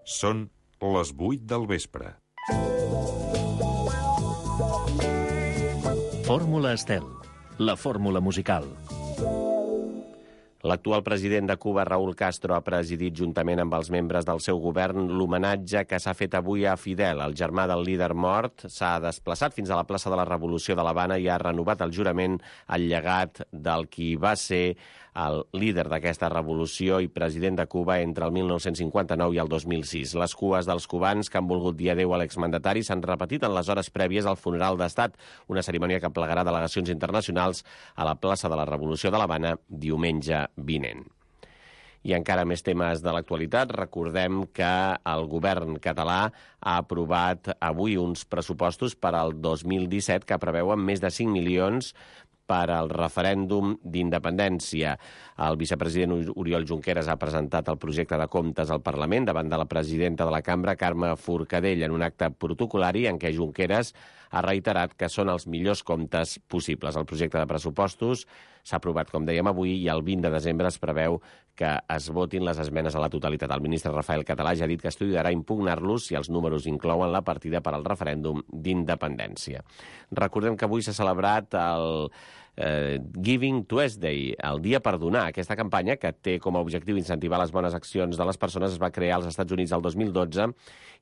Són les 8 del vespre. Fórmula Estel, la fórmula musical. L'actual president de Cuba, Raúl Castro, ha presidit juntament amb els membres del seu govern l'homenatge que s'ha fet avui a Fidel. El germà del líder mort s'ha desplaçat fins a la plaça de la Revolució de l'Havana i ha renovat el jurament al llegat del qui va ser el líder d'aquesta revolució i president de Cuba entre el 1959 i el 2006. Les cues dels cubans que han volgut dir adéu a l'exmandatari s'han repetit en les hores prèvies al funeral d'estat, una cerimònia que plegarà delegacions internacionals a la plaça de la Revolució de l'Havana diumenge vinent. I encara més temes de l'actualitat. Recordem que el govern català ha aprovat avui uns pressupostos per al 2017 que preveuen més de 5 milions per al referèndum d'independència. El vicepresident Oriol Junqueras ha presentat el projecte de comptes al Parlament davant de la presidenta de la Cambra, Carme Forcadell, en un acte protocolari en què Junqueras ha reiterat que són els millors comptes possibles. El projecte de pressupostos s'ha aprovat, com dèiem avui, i el 20 de desembre es preveu que es votin les esmenes a la totalitat. El ministre Rafael Català ja ha dit que estudiarà impugnar-los si els números inclouen la partida per al referèndum d'independència. Recordem que avui s'ha celebrat el Giving Tuesday, el dia per donar. Aquesta campanya, que té com a objectiu incentivar les bones accions de les persones, es va crear als Estats Units el 2012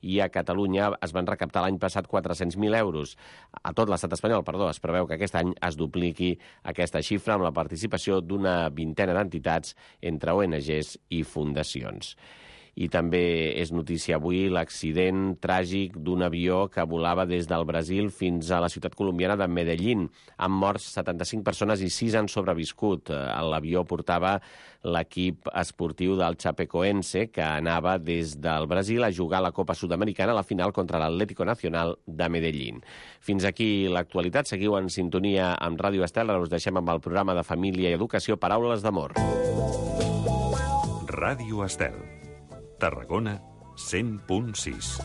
i a Catalunya es van recaptar l'any passat 400.000 euros. A tot l'estat espanyol, es preveu que aquest any es dupliqui aquesta xifra amb la participació d'una vintena d'entitats entre ONGs i fundacions. I també és notícia avui l'accident tràgic d'un avió que volava des del Brasil fins a la ciutat colombiana de Medellín. Han mort 75 persones i 6 han sobreviscut. L'avió portava l'equip esportiu del Chapecoense, que anava des del Brasil a jugar a la Copa Sud-americana a la final contra l'Atlético Nacional de Medellín. Fins aquí l'actualitat. Seguiu en sintonia amb Ràdio Estel. Us deixem amb el programa de Família i Educació Paraules d'Amor. Ràdio Estel. Tarragona 100.6.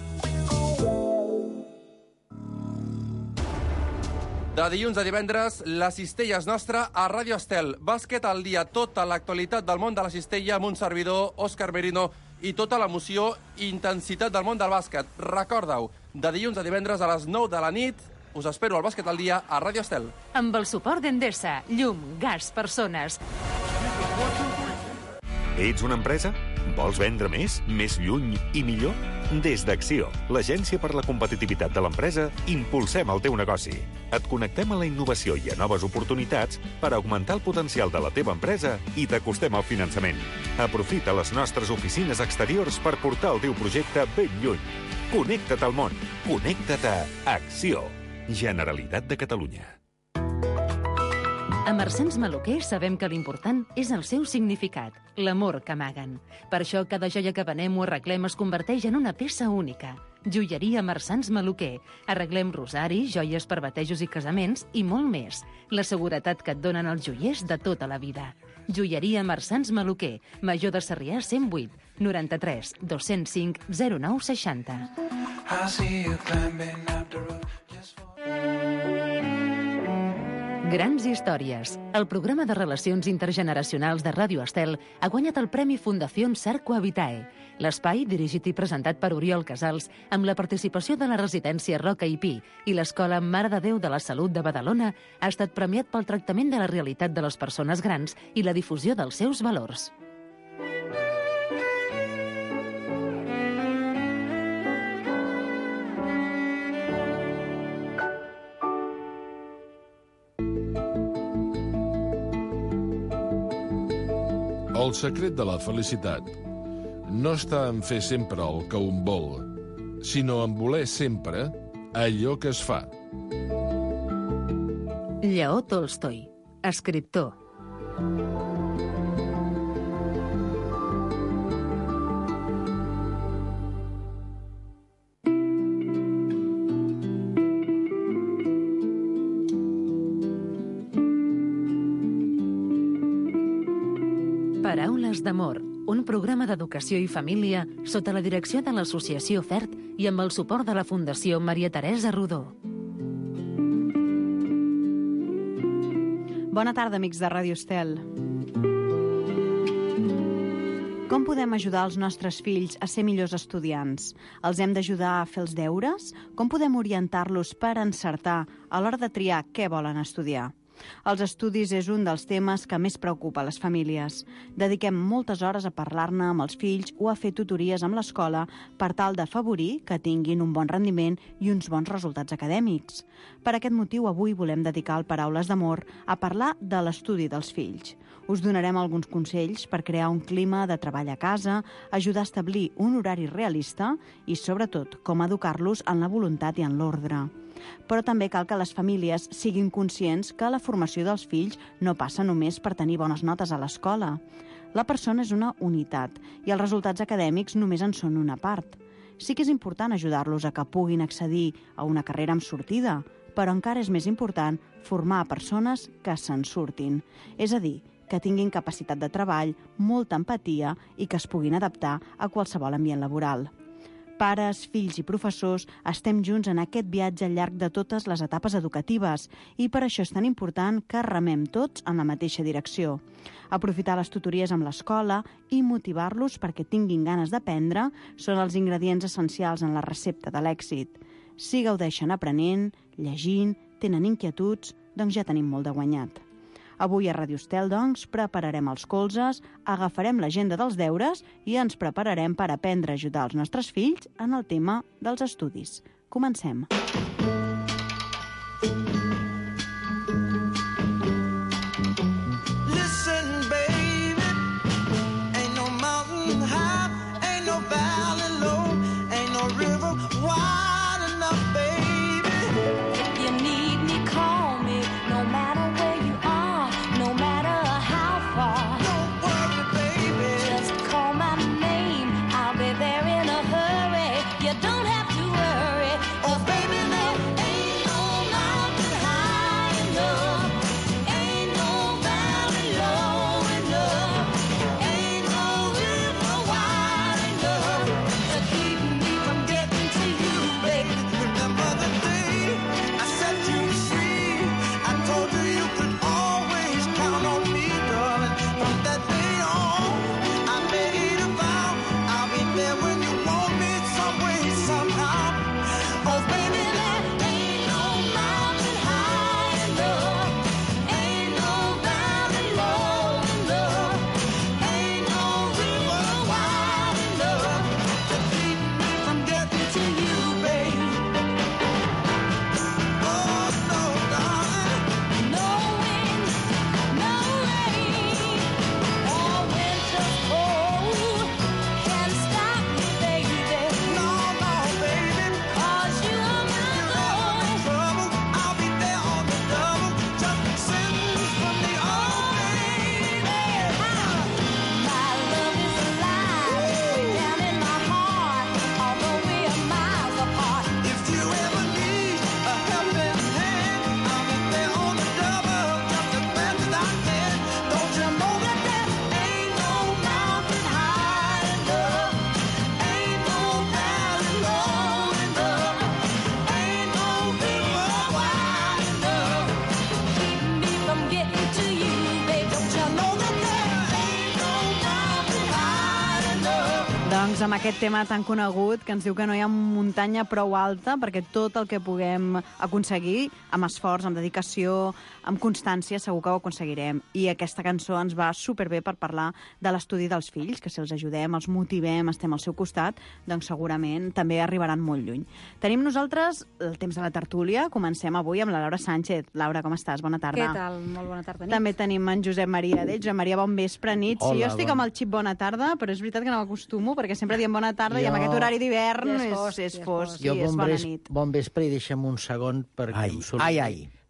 De dilluns a divendres, la cistella és nostra a Ràdio Estel. Bàsquet al dia, tota l'actualitat del món de la cistella amb un servidor, Òscar Merino, i tota l'emoció i intensitat del món del bàsquet. Recorda-ho, de dilluns a divendres a les 9 de la nit, us espero al Bàsquet al dia a Ràdio Estel. Amb el suport d'Endesa, llum, gas, persones. Ets una empresa? Vols vendre més, més lluny i millor? Des d'Acció, l'agència per la competitivitat de l'empresa, impulsem el teu negoci. Et connectem a la innovació i a noves oportunitats per augmentar el potencial de la teva empresa i t'acostem al finançament. Aprofita les nostres oficines exteriors per portar el teu projecte ben lluny. Connecta't al món. Connecta't a Acció. Generalitat de Catalunya. A Marsans Maluquer sabem que l'important és el seu significat, l'amor que amaguen. Per això cada joia que venem o arreglem es converteix en una peça única. Joieria Marsans Maluquer. Arreglem rosaris, joies per batejos i casaments i molt més. La seguretat que et donen els joiers de tota la vida. Joieria Marsans Maluquer. Major de Sarrià 108 93 205 09 60. Grans històries. El programa de relacions intergeneracionals de Ràdio Estel ha guanyat el Premi Fundació Sarco Habitae. L'espai, dirigit i presentat per Oriol Casals, amb la participació de la residència Roca i Pi i l'Escola Mare de Déu de la Salut de Badalona, ha estat premiat pel tractament de la realitat de les persones grans i la difusió dels seus valors. El secret de la felicitat no està en fer sempre el que un vol, sinó en voler sempre allò que es fa. Lleó Tolstoi, escriptor. Paraules d'amor, un programa d'educació i família sota la direcció de l'Associació FERT i amb el suport de la Fundació Maria Teresa Rodó. Bona tarda, amics de Ràdio Estel. Com podem ajudar els nostres fills a ser millors estudiants? Els hem d'ajudar a fer els deures? Com podem orientar-los per encertar a l'hora de triar què volen estudiar? Els estudis és un dels temes que més preocupa les famílies. Dediquem moltes hores a parlar-ne amb els fills o a fer tutories amb l'escola per tal d'afavorir que tinguin un bon rendiment i uns bons resultats acadèmics. Per aquest motiu, avui volem dedicar el Paraules d'Amor a parlar de l'estudi dels fills. Us donarem alguns consells per crear un clima de treball a casa, ajudar a establir un horari realista i, sobretot, com educar-los en la voluntat i en l'ordre. Però també cal que les famílies siguin conscients que la formació dels fills no passa només per tenir bones notes a l'escola. La persona és una unitat i els resultats acadèmics només en són una part. Sí que és important ajudar-los a que puguin accedir a una carrera amb sortida, però encara és més important formar persones que se'n surtin. És a dir, que tinguin capacitat de treball, molta empatia i que es puguin adaptar a qualsevol ambient laboral. Pares, fills i professors estem junts en aquest viatge al llarg de totes les etapes educatives i per això és tan important que remem tots en la mateixa direcció. Aprofitar les tutories amb l'escola i motivar-los perquè tinguin ganes d'aprendre són els ingredients essencials en la recepta de l'èxit. Si gaudeixen aprenent, llegint, tenen inquietuds, doncs ja tenim molt de guanyat. Avui a Ràdio Estel, doncs, prepararem els colzes, agafarem l'agenda dels deures i ens prepararem per aprendre a ajudar els nostres fills en el tema dels estudis. Comencem. Doncs amb aquest tema tan conegut que ens diu que no hi ha muntanya prou alta perquè tot el que puguem aconseguir amb esforç, amb dedicació, amb constància, segur que ho aconseguirem. I aquesta cançó ens va superbé per parlar de l'estudi dels fills, que si els ajudem, els motivem, estem al seu costat, doncs segurament també arribaran molt lluny. Tenim nosaltres el temps de la tertúlia. Comencem avui amb la Laura Sánchez. Laura, com estàs? Bona tarda. Què tal? Molt bona tarda, nit. També tenim en Josep Maria Dell. Josep Maria, bon vespre, nit. Hola, sí, jo estic amb el xip bona tarda, però és veritat que no m'acostumo, perquè sempre diem bona tarda i amb aquest horari d'hivern és fosc i és bona nit. Bon vespre i deixem un segon perquè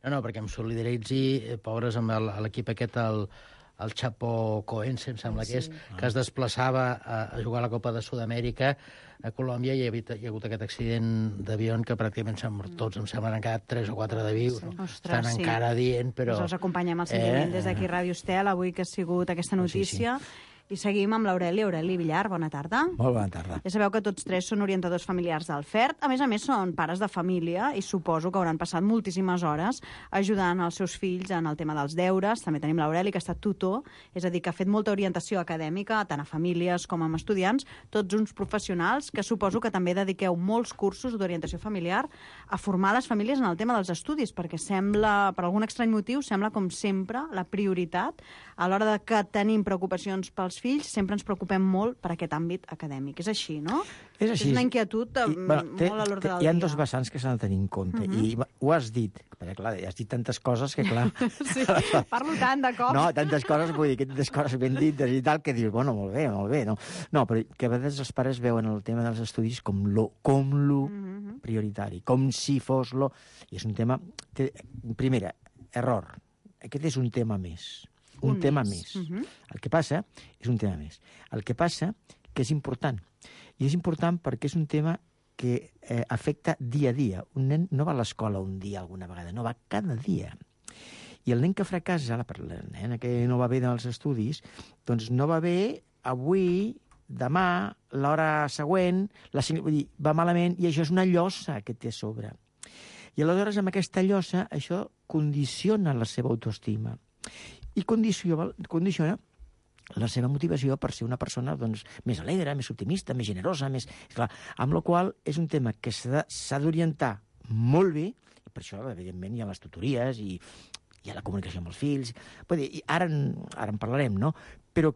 No, perquè em solidaritzi, pobres, amb l'equip aquest, el Chapo Coense, em sembla que és, que es desplaçava a jugar a la Copa de Sud-amèrica a Colòmbia i hi ha hagut aquest accident d'avió que pràcticament tots, em sembla, han quedat 3 o 4 de vius. Estan encara dient, però... Us acompanyem al sentiment des d'aquí Ràdio Estel, avui que ha sigut aquesta notícia. I seguim amb l'Aureli. Aureli Villar, bona tarda. Molt bona tarda. Ja sabeu que tots tres són orientadors familiars del FERT. A més, són pares de família i suposo que hauran passat moltíssimes hores ajudant els seus fills en el tema dels deures. També tenim l'Aureli, que ha estat tutor, és a dir, que ha fet molta orientació acadèmica, tant a famílies com a estudiants, tots uns professionals que suposo que també dediqueu molts cursos d'orientació familiar a formar les famílies en el tema dels estudis, perquè sembla, per algun estrany motiu, sembla com sempre la prioritat a l'hora de que tenim preocupacions pels fills, sempre ens preocupem molt per aquest àmbit acadèmic. És així, no? És així. És una inquietud molt a l'ordre del dia. Hi ha dos vessants que s'han de tenir en compte, i ho has dit, perquè clar, has dit tantes coses que clar... Sí, parlo tant de cop. No, tantes coses, vull dir, que tantes coses ben dites i tal, que dius, bueno, molt bé, no? No, però que a vegades els pares veuen el tema dels estudis com lo prioritari, com si fos lo... I és un tema... Primera, error. Aquest és un tema més. Un tema més. El que passa és un tema més. El que passa que és important. I és important perquè és un tema que afecta dia a dia. Un nen no va a l'escola un dia alguna vegada, no, va cada dia. I el nen que fracassa, la nena que no va bé dels estudis, doncs no va bé avui, demà, l'hora següent, vull dir, va malament, i això és una llosa que té a sobre. I aleshores amb aquesta llosa això condiciona la seva autoestima i condiciona la seva motivació per ser una persona doncs, més alegre, més optimista, més generosa, més... Clar, amb la qual és un tema que s'ha d'orientar molt bé, i per això, evidentment, hi ha les tutories i hi ha la comunicació amb els fills. Vull dir, ara en parlarem, no? Però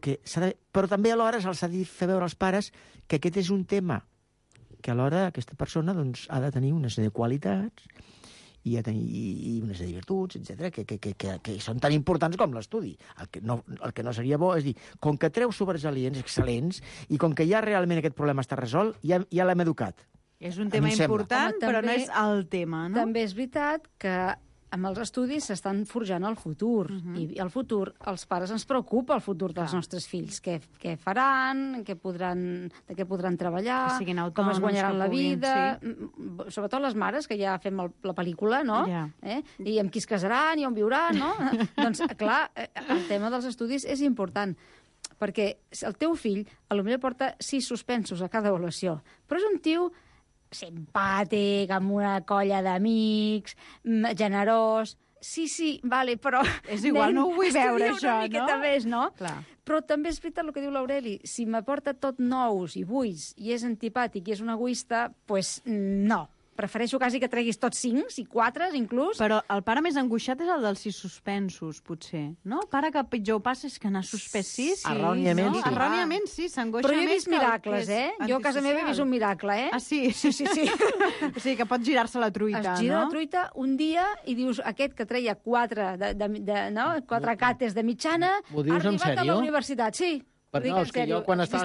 també alhora se'ls ha de fer veure als pares que aquest és un tema que alhora aquesta persona doncs, ha de tenir una sèrie de qualitats i una sèrie de virtuts, etc., que són tan importants com l'estudi. El que no seria bo és dir, com que treu sobresalients excel·lents i com que ja realment aquest problema està resolt, ja l'hem educat. És un tema important, però no és el tema, no? També és veritat que amb els estudis s'estan forjant el futur. I el futur, els pares ens preocupa el futur dels nostres fills. Què faran, de què podran treballar, que siguin autònoms, com es guanyaran la vida... Sí. Sobretot les mares, que ja fem la pel·lícula, no? Yeah. I amb qui es casaran i on viuran, no? Doncs, clar, el tema dels estudis és important, perquè el teu fill potser porta 6 suspensos a cada avaluació, però és un tio simpàtic, amb una colla d'amics, generós... Sí, vale, però... És igual, no ho vull veure, això, no? Una miqueta més, no? Clar. Però també és veritat el que diu l'Aureli. Si m'aporta tot nous i buits, i és antipàtic i és un egoista, doncs no. Prefereixo quasi que treguis tots 5, i 4, inclús. Però el pare més angoixat és el dels 6 suspensos, potser. No? El pare que pitjor ho passa és que n'ha suspès 6. Erròniament, no? sí. Erròniament, sí, s'angoixa més. Però jo he vist miracles, Jo a casa meva he vist un miracle, Ah, sí? Sí. O sigui, que pot girar-se la truita, no? Es gira la truita un dia i dius, aquest que treia 4 cates de mitjana, ha arribat a la universitat, sí. No, és que jo quan estaves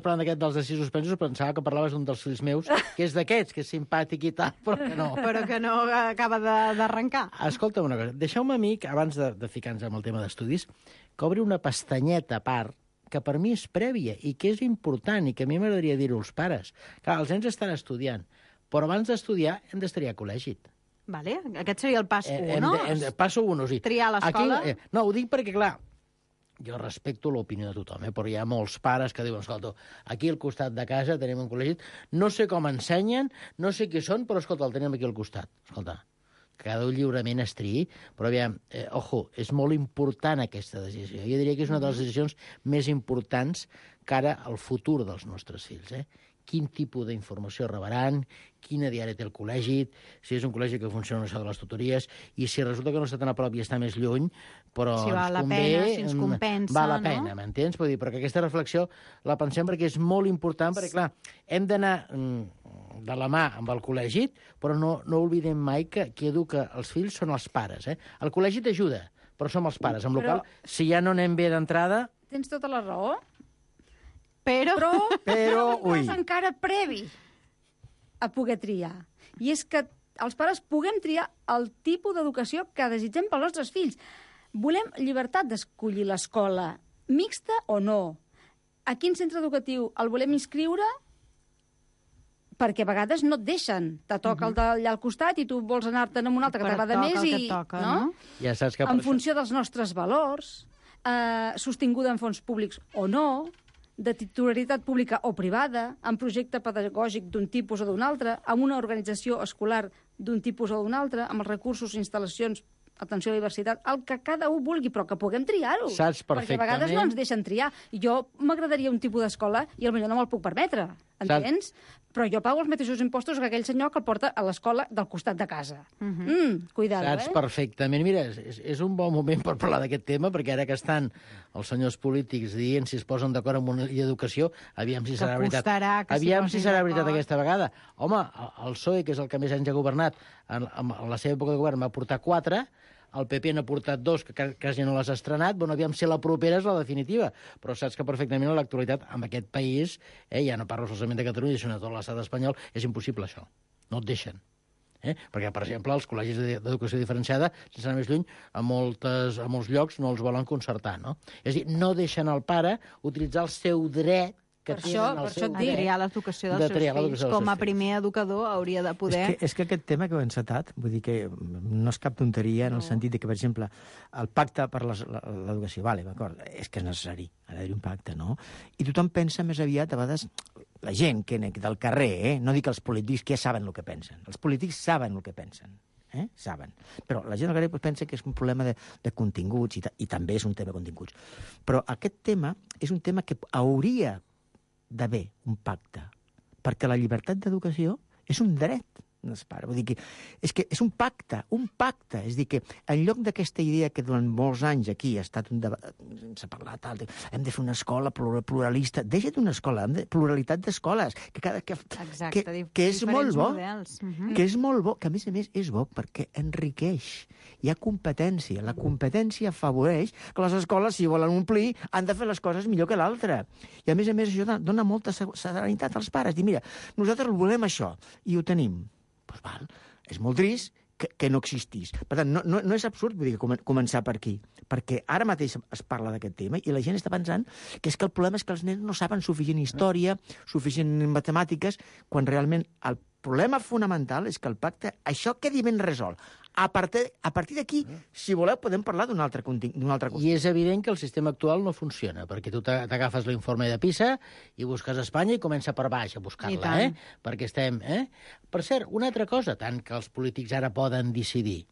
parlant d'aquest dels de 6 suspensos pensava que parlaves d'un dels fills meus, que és d'aquests, que és simpàtic i tal, però que no. Però que no acaba d'arrencar. Escolta'm una cosa, deixeu-me a mi, abans de ficar-nos amb el tema d'estudis, que obri una pestanyeta a part, que per mi és prèvia i que és important i que a mi m'agradaria dir-ho als pares. Clar, els nens estan estudiant, però abans d'estudiar hem d'estar a col·legi. Vale, aquest seria el pas 1, no? Passo 1, sí. Triar l'escola? No, ho dic perquè, clar, jo respecto l'opinió de tothom, però hi ha molts pares que diuen, escolta, aquí al costat de casa tenim un col·legi, no sé com ensenyen, no sé qui són, però escolta, el tenim aquí al costat. Escolta, cada un lliurement es triï, però aviam, ojo, és molt important aquesta decisió. Jo diria que és una de les decisions més importants cara al futur dels nostres fills, Quin tipus d'informació rebran, quina diària té el col·legi, si és un col·legi que funciona això de les tutories, i si resulta que no està tan a prop i està més lluny, però si val la pena, si ens compensa, val la pena, m'entens? Vull dir, però que aquesta reflexió la pensem perquè és molt important, perquè, clar, hem d'anar de la mà amb el col·legi, però no oblidem mai que qui educa els fills són els pares. El col·legi t'ajuda, però som els pares, amb la qual cosa, si ja no anem bé d'entrada... Tens tota la raó. Però un pas encara previ a poder triar. I és que els pares puguem triar el tipus d'educació que desitgem pels nostres fills. Volem llibertat d'escollir l'escola, mixta o no. A quin centre educatiu el volem inscriure? Perquè a vegades no et deixen. Te toca el d'allà al costat i tu vols anar-te'n amb un altre que t'agrada més. No? Ja saps que en funció dels nostres valors, sostinguda en fons públics o no, de titularitat pública o privada, amb projecte pedagògic d'un tipus o d'un altre, amb una organització escolar d'un tipus o d'un altre, amb els recursos, instal·lacions, atenció a la diversitat, el que cada un vulgui, però que puguem triar-ho. Saps perfectament. Perquè a vegades no ens deixen triar. Jo m'agradaria un tipus d'escola i potser no me'l puc permetre, entens? Però jo pago els mateixos impostos que aquell senyor que el porta a l'escola del costat de casa. Cuidado, Saps perfectament. Mira, és un bon moment per parlar d'aquest tema, perquè ara que estan els senyors polítics dient si es posen d'acord amb una llei d'educació, aviam si serà veritat. Aviam si serà veritat aquesta vegada. Home, el PSOE, que és el que més anys ha governat, en la seva època de govern va portar 4, el PP n'ha portat 2, que quasi no les ha estrenat. Bueno, aviam si la propera és la definitiva. Però saps que perfectament en l'actualitat, en aquest país, ja no parlo solament de Catalunya, sinó de tot l'estat espanyol, és impossible això. No et deixen. Perquè, per exemple, els col·legis d'educació diferenciada, sense anar més lluny, a molts llocs no els volen concertar, no? És a dir, no deixen al pare utilitzar el seu dret que tenen el seu dret de triar l'educació dels seus fills. Com a primer educador hauria de poder... És que aquest tema que heu encetat, vull dir que no és cap tonteria en el sentit de que, per exemple, el pacte per l'educació, vale, d'acord, és que és necessari, ha d'haver un pacte, no? I tothom pensa més aviat, a vegades, la gent que del carrer, no dic els polítics, que ja saben el que pensen. Els polítics saben el que pensen. Saben. Però la gent al carrer pensa que és un problema de continguts, i també és un tema de continguts. Però aquest tema és un tema que hauria d'haver un pacte, perquè la llibertat d'educació és un dret dels pares. Vull dir que és un pacte, és dir que en lloc d'aquesta idea que durant molts anys aquí ha estat un debat, s'ha parlat, hem de fer una escola pluralista, deixa't una escola, pluralitat d'escoles, que és molt bo, que és molt bo, que a més és bo perquè enriqueix. Hi ha competència. La competència afavoreix que les escoles, si volen omplir, han de fer les coses millor que l'altre. I a més això dona molta serenitat als pares. Dir, mira, nosaltres volem això i ho tenim. Doncs val, és molt trist que no existís. Per tant, no és absurd vull dir, començar per aquí, perquè ara mateix es parla d'aquest tema i la gent està pensant que és que el problema és que els nens no saben suficient història, suficient matemàtiques, quan realment el problema fonamental és que el pacte, això quedi ben resolt. A partir d'aquí, si voleu, podem parlar d'un altre qüestió. I és evident que el sistema actual no funciona, perquè tu t'agafes l'informe de PISA i busques Espanya i comença per baix a buscar-la, perquè estem... Per cert, una altra cosa, tant que els polítics ara poden decidir.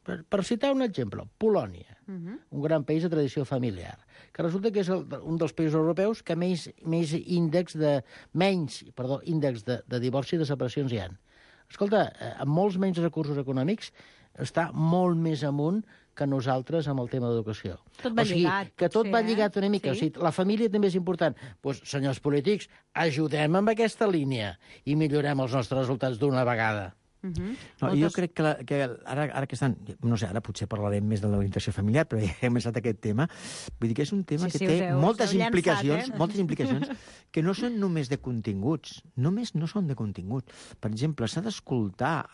Per citar un exemple, Polònia, un gran país de tradició familiar, que resulta que és un dels països europeus que menys índex de divorci i de separacions hi ha. Escolta, amb molts menys recursos econòmics, està molt més amunt que nosaltres amb el tema d'educació. Tot va lligat. Que tot va lligat una mica. O sigui, la família també és important. Doncs, senyors polítics, ajudem amb aquesta línia i millorem els nostres resultats d'una vegada. Jo crec que ara que estan... No sé, ara potser parlarem més de l'orientació familiar, però ja hem estat aquest tema. Vull dir que és un tema que té moltes implicacions que no són només de continguts. Només no són de continguts. Per exemple, s'ha d'escoltar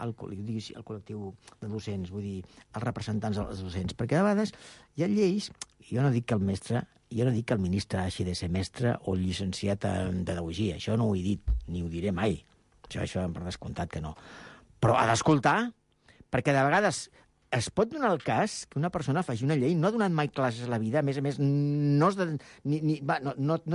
el col·lectiu de docents, vull dir, els representants dels docents, perquè a vegades hi ha lleis, jo no dic que el mestre, jo no dic que el ministre hagi de ser mestre o llicenciat en pedagogia, això no ho he dit, ni ho diré mai. Això per descomptat que no. Però ha d'escoltar, perquè de vegades es pot donar el cas que una persona faci una llei, no ha donat mai classes a la vida, a més no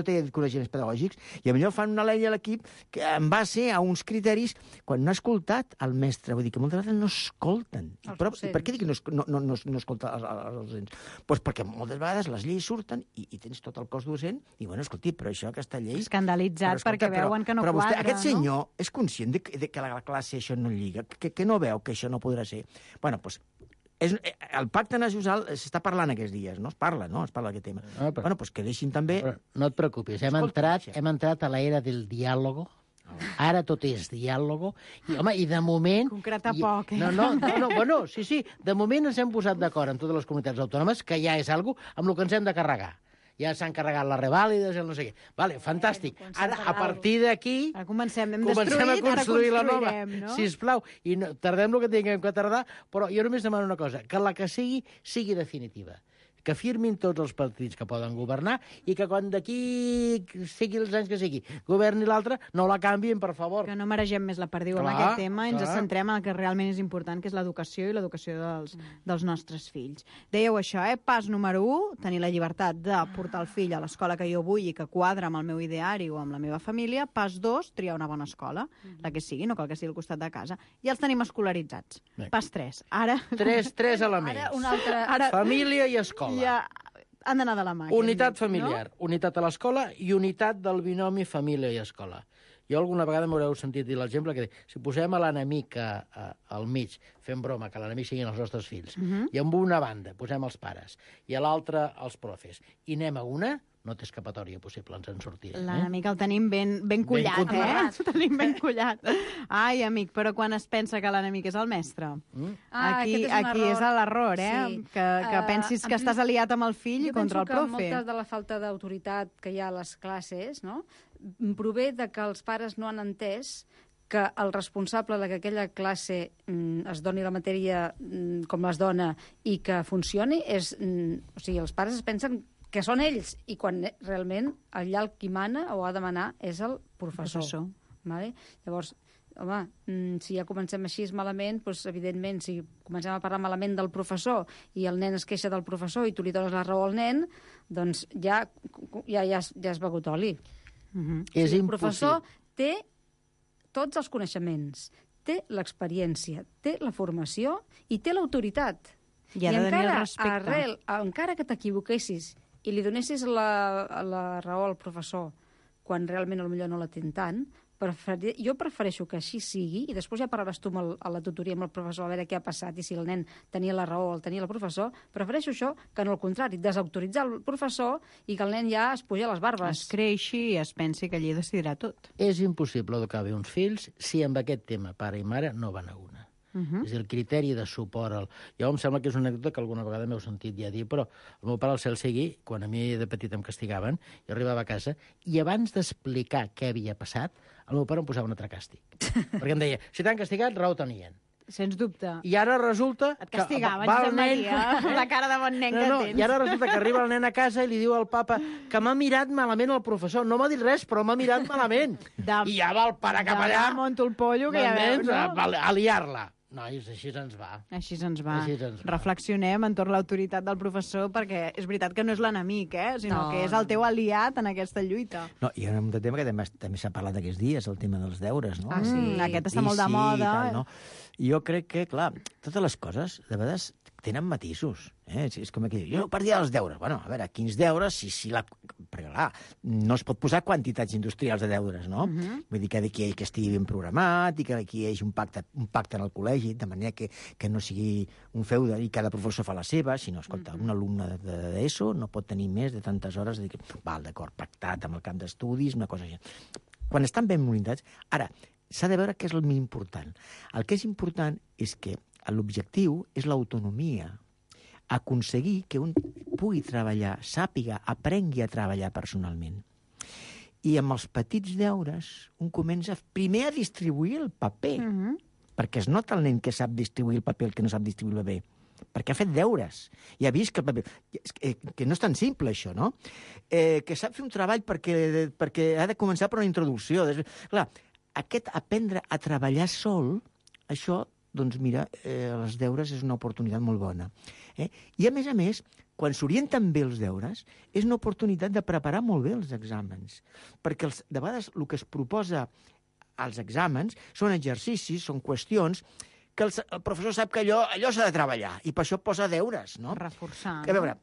té coneixements pedagògics, i potser fan una llei a l'equip que en base a uns criteris quan no ha escoltat el mestre. Vull dir que moltes vegades no escolten. Però per què dic que no escolta els docents? Doncs perquè moltes vegades les lleis surten i tens tot el cos docent i, bueno, escolti, però això, aquesta llei... Escandalitzat perquè veuen que no quadra, no? Però vostè, aquest senyor, és conscient de que la classe això no lliga, que no veu que això no podrà ser. Bueno, doncs el pacte nacional s'està parlant aquests dies, no? Es parla d'aquest tema. Bueno, doncs que deixin també... No et preocupis, hem entrat a l'era del diàlogo. Ara tot és diàlogo. I, home, i de moment... Concretar poc, Bueno, sí, de moment ens hem posat d'acord amb totes les comunitats autònomes, que ja és algo amb el que ens hem de carregar. Ja s'han carregat les revàlides i el no sé què. Vale, fantàstic. Ara, a partir d'aquí... Comencem a construir la nova. No? Sisplau. I tardem el que tinguem que tardar, però jo només demano una cosa, que la que sigui definitiva. que firmin tots els partits que poden governar i que quan d'aquí sigui els anys que sigui, governi l'altre, no la canvien, per favor. Que no maregem més la perdiu amb aquest tema i ens centrem en el que realment és important, que és l'educació i l'educació dels nostres fills. Dèieu això, pas número 1, tenir la llibertat de portar el fill a l'escola que jo vull i que quadra amb el meu ideari o amb la meva família. Pas 2, triar una bona escola, la que sigui, no cal que sigui al costat de casa. I els tenim escolaritzats. Pas 3. Ara... Tres elements. Família i escola. Ja han d'anar de la mà. Unitat familiar, unitat a l'escola i unitat del binomi família i escola. Jo alguna vegada m'haureu sentit dir l'exemple que si posem a l'enemic al mig, fem broma, que l'enemic siguin els nostres fills, i amb una banda posem els pares i a l'altra els profes, i anem a una, no té escapatòria possible, ens en sortirem. L'enemic el tenim ben collat, El tenim ben collat. Ai, amic, però quan es pensa que l'enemic és el mestre? Aquí és l'error, Sí. Que pensis que estàs aliat amb el fill contra el profe. Jo penso que molta de la falta d'autoritat que hi ha a les classes, no?, prové de que els pares no han entès que el responsable de que aquella classe es doni la matèria com es dona i que funcioni és... O sigui, els pares es pensen que són ells, i quan realment allà el qui mana o ha de manar és el professor. Vale? Llavors, home, si ja comencem així malament, doncs, evidentment, si comencem a parlar malament del professor i el nen es queixa del professor i tu li dones la raó al nen, doncs ja has begut oli. És el professor té tots els coneixements, té l'experiència, té la formació i té l'autoritat. I ha de tenir el respecte. Encara que t'equivoquessis i li donessis la raó al professor quan realment potser no la ten tant, jo prefereixo que així sigui i després ja parlaràs tu a la tutoria amb el professor a veure què ha passat i si el nen tenia la raó o el tenia el professor. Prefereixo això que no el contrari, desautoritzar el professor i que el nen ja es puja les barbes. Es creixi i es pensi que allí decidirà tot. És impossible educar bé uns fills si amb aquest tema pare i mare no van a una. És el criteri de suport. Jo em sembla que és una anècdota que alguna vegada m'heu sentit ja dir, però el meu pare al cel sigui, quan a mi de petit em castigaven, jo arribava a casa i abans d'explicar què havia passat, el meu pare em posava un altre càstig. Perquè em deia, si t'han castigat, raó tenien. Sens dubte. I ara resulta... Et castigaven, Josep Maria, la cara de bon nen que tens. I ara resulta que arriba el nen a casa i li diu al papa que m'ha mirat malament el professor. No m'ha dit res, però m'ha mirat malament. I ja va el pare cap allà... Monto el pollo, que ja veus, no? A liar-la. Nois, així ens va. Així ens va. Reflexionem entorn l'autoritat del professor, perquè és veritat que no és l'enemic, sinó que és el teu aliat en aquesta lluita. No, hi ha un tema que també s'ha parlat aquests dies, el tema dels deures, no? Ah, sí, aquest està molt de moda. No? Jo crec que, clar, totes les coses, de vegades, tenen matisos. És com aquí, jo partia dels deures. Bueno, a veure, quins deures, perquè, clar, no es pot posar quantitats industrials de deures, no? Vull dir que d'aquí que estigui ben programat i que aquí hi hagi un pacte en el col·legi, de manera que no sigui un feude i cada professor fa la seva, sinó, escolta, un alumne d'ESO no pot tenir més de tantes hores de dir, val, d'acord, pactat amb el camp d'estudis, una cosa així. Quan estan ben monitats... Ara, s'ha de veure què és el més important. El que és important és que l'objectiu és l'autonomia, aconseguir que un pugui treballar, sàpiga, aprengui a treballar personalment. I amb els petits deures un comença primer a distribuir el paper, perquè es nota el nen que sap distribuir el paper, el que no sap distribuir el paper, perquè ha fet deures, i ha vist que el paper... Que no és tan simple, això, no? Que sap fer un treball perquè ha de començar per una introducció. Clar, aquest aprendre a treballar sol, això, doncs mira, els deures és una oportunitat molt bona. I a més, quan s'orienten bé els deures, és una oportunitat de preparar molt bé els exàmens. Perquè de vegades el que es proposa als exàmens són exercicis, són qüestions que el professor sap que allò s'ha de treballar, i per això posa deures, no? Reforçar. A veure,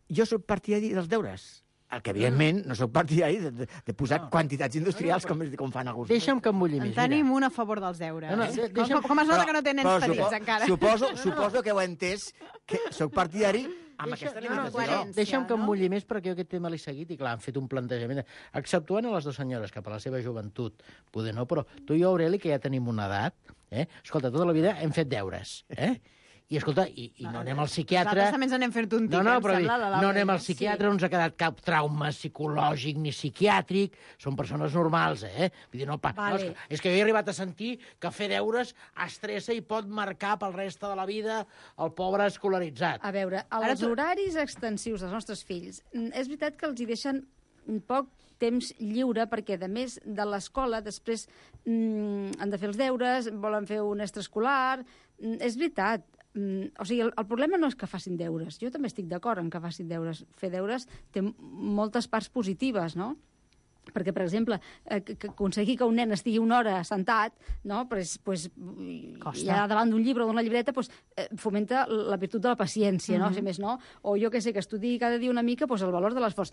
jo soc partidari dels deures. El que, evidentment, no soc partidari de posar quantitats industrials com fan alguns. Deixa'm que em mulli més. En tenim un a favor dels deures. Com es nota que no té nens petits, encara? Suposo que ho he entès, que soc partidari amb aquesta limitació. Deixa'm que em mulli més, perquè jo aquest tema l'he seguit i, clar, han fet un plantejament. Exceptuant a les dues senyores, que per la seva joventut, poder no, però tu i jo, Aureli, que ja tenim una edat, escolta, tota la vida hem fet deures, I, escolta, i no anem al psiquiatre... Nosaltres també ens anem fent un tic, no anem al psiquiatre, no ens ha quedat cap trauma psicològic ni psiquiàtric, són persones normals, Vull dir, no, és que jo he arribat a sentir que fer deures estressa i pot marcar pel reste de la vida el pobre escolaritzat. A veure, els horaris extensius dels nostres fills, és veritat que els hi deixen poc temps lliure, perquè, a més de l'escola, després han de fer els deures, volen fer un extraescolar... És veritat. O sigui, el problema no és que facin deures. Jo també estic d'acord en que facin deures. Fer deures té moltes parts positives, no? Perquè, per exemple, aconseguir que un nen estigui una hora sentat, no? Pues, ja davant d'un llibre o d'una llibreta, pues, fomenta la virtut de la paciència, no? Si més no. O jo que sé, que estudi cada dia una mica, pues, el valor de l'esforç.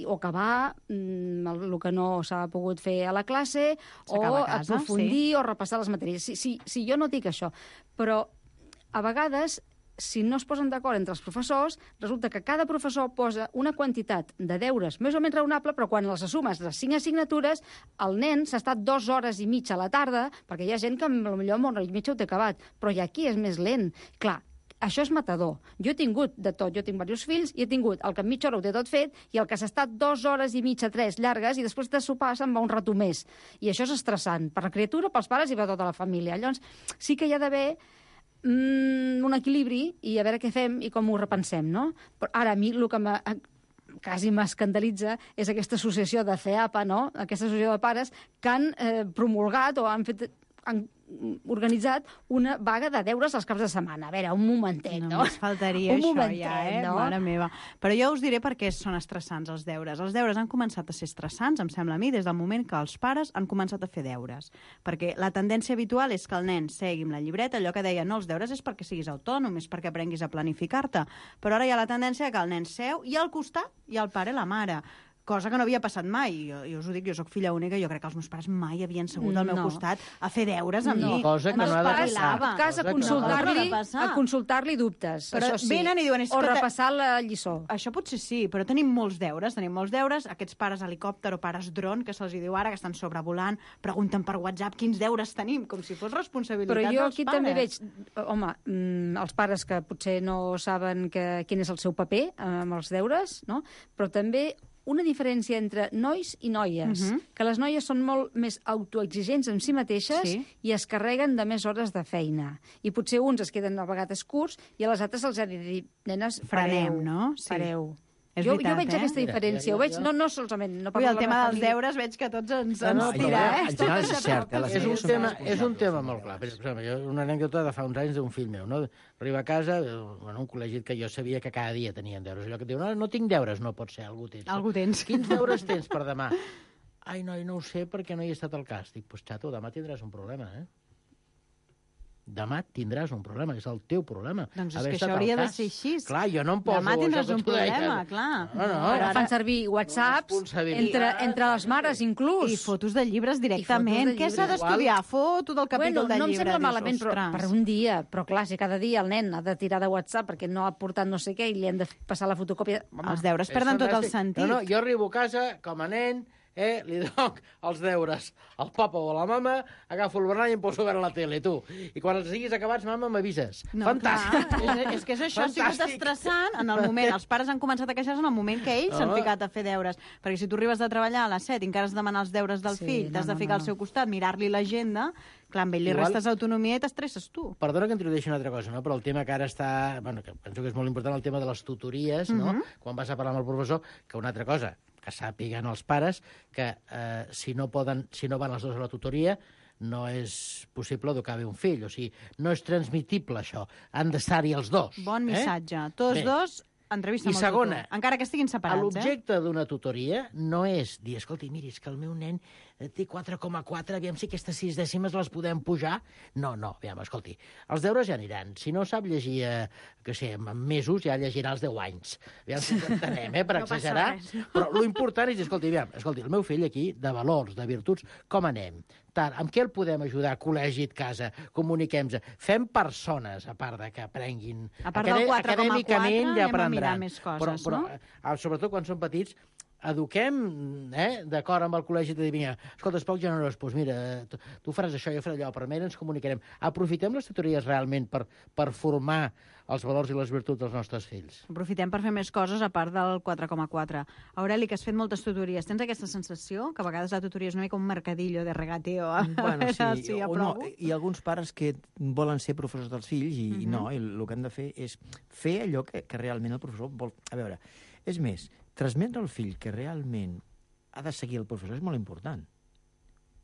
O acabar el que no s'ha pogut fer a la classe, o aprofundir, o repassar les matèries. Sí, jo no dic això, però a vegades, si no es posen d'acord entre els professors, resulta que cada professor posa una quantitat de deures més o menys raonable, però quan les assumes les 5 assignatures, el nen s'ha estat 2 hores i mitja a la tarda, perquè hi ha gent que potser amb 1 hora i mitja ho té acabat, però hi ha qui és més lent. Clar, això és matador. Jo he tingut de tot, jo tinc diversos fills, i he tingut el que en mitja hora ho té tot fet, i el que s'ha estat 2 hores i mitja, 3 llargues, i després de sopar se'n va un rato més. I això és estressant, per la criatura, pels pares i per tota la família. Llavors, sí que hi ha d'haver un equilibri i a veure què fem i com ho repensem, no? Però ara, a mi el que quasi m'escandalitza és aquesta associació de CEAPA, no? Aquesta associació de pares que han promulgat o han organitzat una vaga de deures als caps de setmana. A veure, un momentet, no? Només faltaria això, no? Mare meva. Però jo us diré per què són estressants els deures. Els deures han començat a ser estressants, em sembla a mi, des del moment que els pares han començat a fer deures. Perquè la tendència habitual és que el nen segui amb la llibreta, allò que deia, no, els deures és perquè siguis autònom, és perquè aprenguis a planificar-te. Però ara hi ha la tendència que el nen seu i al costat hi ha el pare i la mare. Cosa que no havia passat mai. Jo us ho dic, jo soc filla única, jo crec que els meus pares mai havien segut al meu costat a fer deures amb mi. Cosa que no ha de passar. En tot cas, a consultar-li dubtes. Però això sí. Venen i diuen... O repassar la lliçó. Això potser sí, però tenim molts deures. Aquests pares helicòpter o pares dron, que se'ls diu ara, que estan sobrevolant, pregunten per WhatsApp quins deures tenim, com si fos responsabilitat dels pares. Però jo aquí també veig, home, els pares que potser no saben quin és el seu paper amb els deures, no? Però també una diferència entre nois i noies, que les noies són molt més autoexigents amb si mateixes i es carreguen de més hores de feina. I potser uns es queden a vegades curts i a les altres els ha de dir, nenes, frenem, no? Pareu. Jo veig aquesta diferència, ho veig, no solament... El tema dels deures veig que tots ens tira, En general és cert, és un tema molt clar. Per exemple, una anècdota de fa uns anys d'un fill meu, no? Arriba a casa, un col·legi que jo sabia que cada dia tenien deures. Allò que diu, no tinc deures, no pot ser, algú tens. Algú tens. Quins deures tens per demà? Ai, noi, no ho sé perquè no hi he estat al cas. Dic, pues xato, demà tindràs un problema, Demà tindràs un problema, és el teu problema. Doncs és que això hauria de ser així. Clar, jo no em poso... Demà tindràs un problema, clar. Ara fan servir WhatsApps entre les mares, inclús. I fotos de llibres directament. Què s'ha d'estudiar? Foto del capítol de llibre. No em sembla malament, però per un dia. Però clar, si cada dia el nen ha de tirar de WhatsApp perquè no ha portat no sé què i li han de passar la fotocòpia... Els deures perden tot el sentit. No, jo arribo a casa com a nen... li doc els deures al papa o a la mama, agafo el Bernat i em poso a veure la tele, tu. I quan els siguis acabats, mama, m'avises. Fantàstic! És que és això, ha sigut estressant en el moment. Els pares han començat a queixar-se en el moment que ells s'han ficat a fer deures. Perquè si tu arribes de treballar a les 7 i encara has de demanar els deures del fill, t'has de ficar al seu costat, mirar-li l'agenda, clar, amb ell li restes autonomia i t'estresses tu. Perdona que introdueixi una altra cosa, no? Però el tema que ara està... Bueno, que penso que és molt important, el tema de les tutories, no? Quan vas a parlar amb el professor, que una altra cosa, que sàpiguen els pares que si no van els dos a la tutoria no és possible educar bé un fill. O sigui, no és transmitible això. Han d'estar-hi els dos. Bon missatge. Tots dos, entrevista amb el tutor. Encara que estiguin separats. L'objecte d'una tutoria no és dir, escolti, miri, és que el meu nen té 4,4, aviam si aquestes 6 dècimes les podem pujar. No, aviam, escolti, els deures ja aniran. Si no sap llegir, que sé, en mesos, ja llegirà els 10 anys. Aviam si ens entenem, per exagerar. Però l'important és dir, escolti, el meu fill aquí, de valors, de virtuts, com anem? Amb què el podem ajudar? Col·legi, casa, comuniquem-nos. Fem persones, a part de que aprenguin. A part del 4,4, acadèmicament ja anem a mirar aprendran. més coses, no? Però sobretot quan són petits, eduquem, d'acord amb el col·legi, de dir, vinga, escolta, és poc generós, doncs mira, tu faràs això, jo faré allò, però almenys ens comunicarem. Aprofitem les tutories realment per formar els valors i les virtuts dels nostres fills. Aprofitem per fer més coses a part del 4,4. Aureli, que has fet moltes tutories, tens aquesta sensació que a vegades la tutoria és una mica un mercadillo de regateo? Bueno, sí, o no, hi ha alguns pares que volen ser professors dels fills i no, i el que han de fer és fer allò que realment el professor vol. A veure, és més, transmetre al fill que realment ha de seguir el professor és molt important,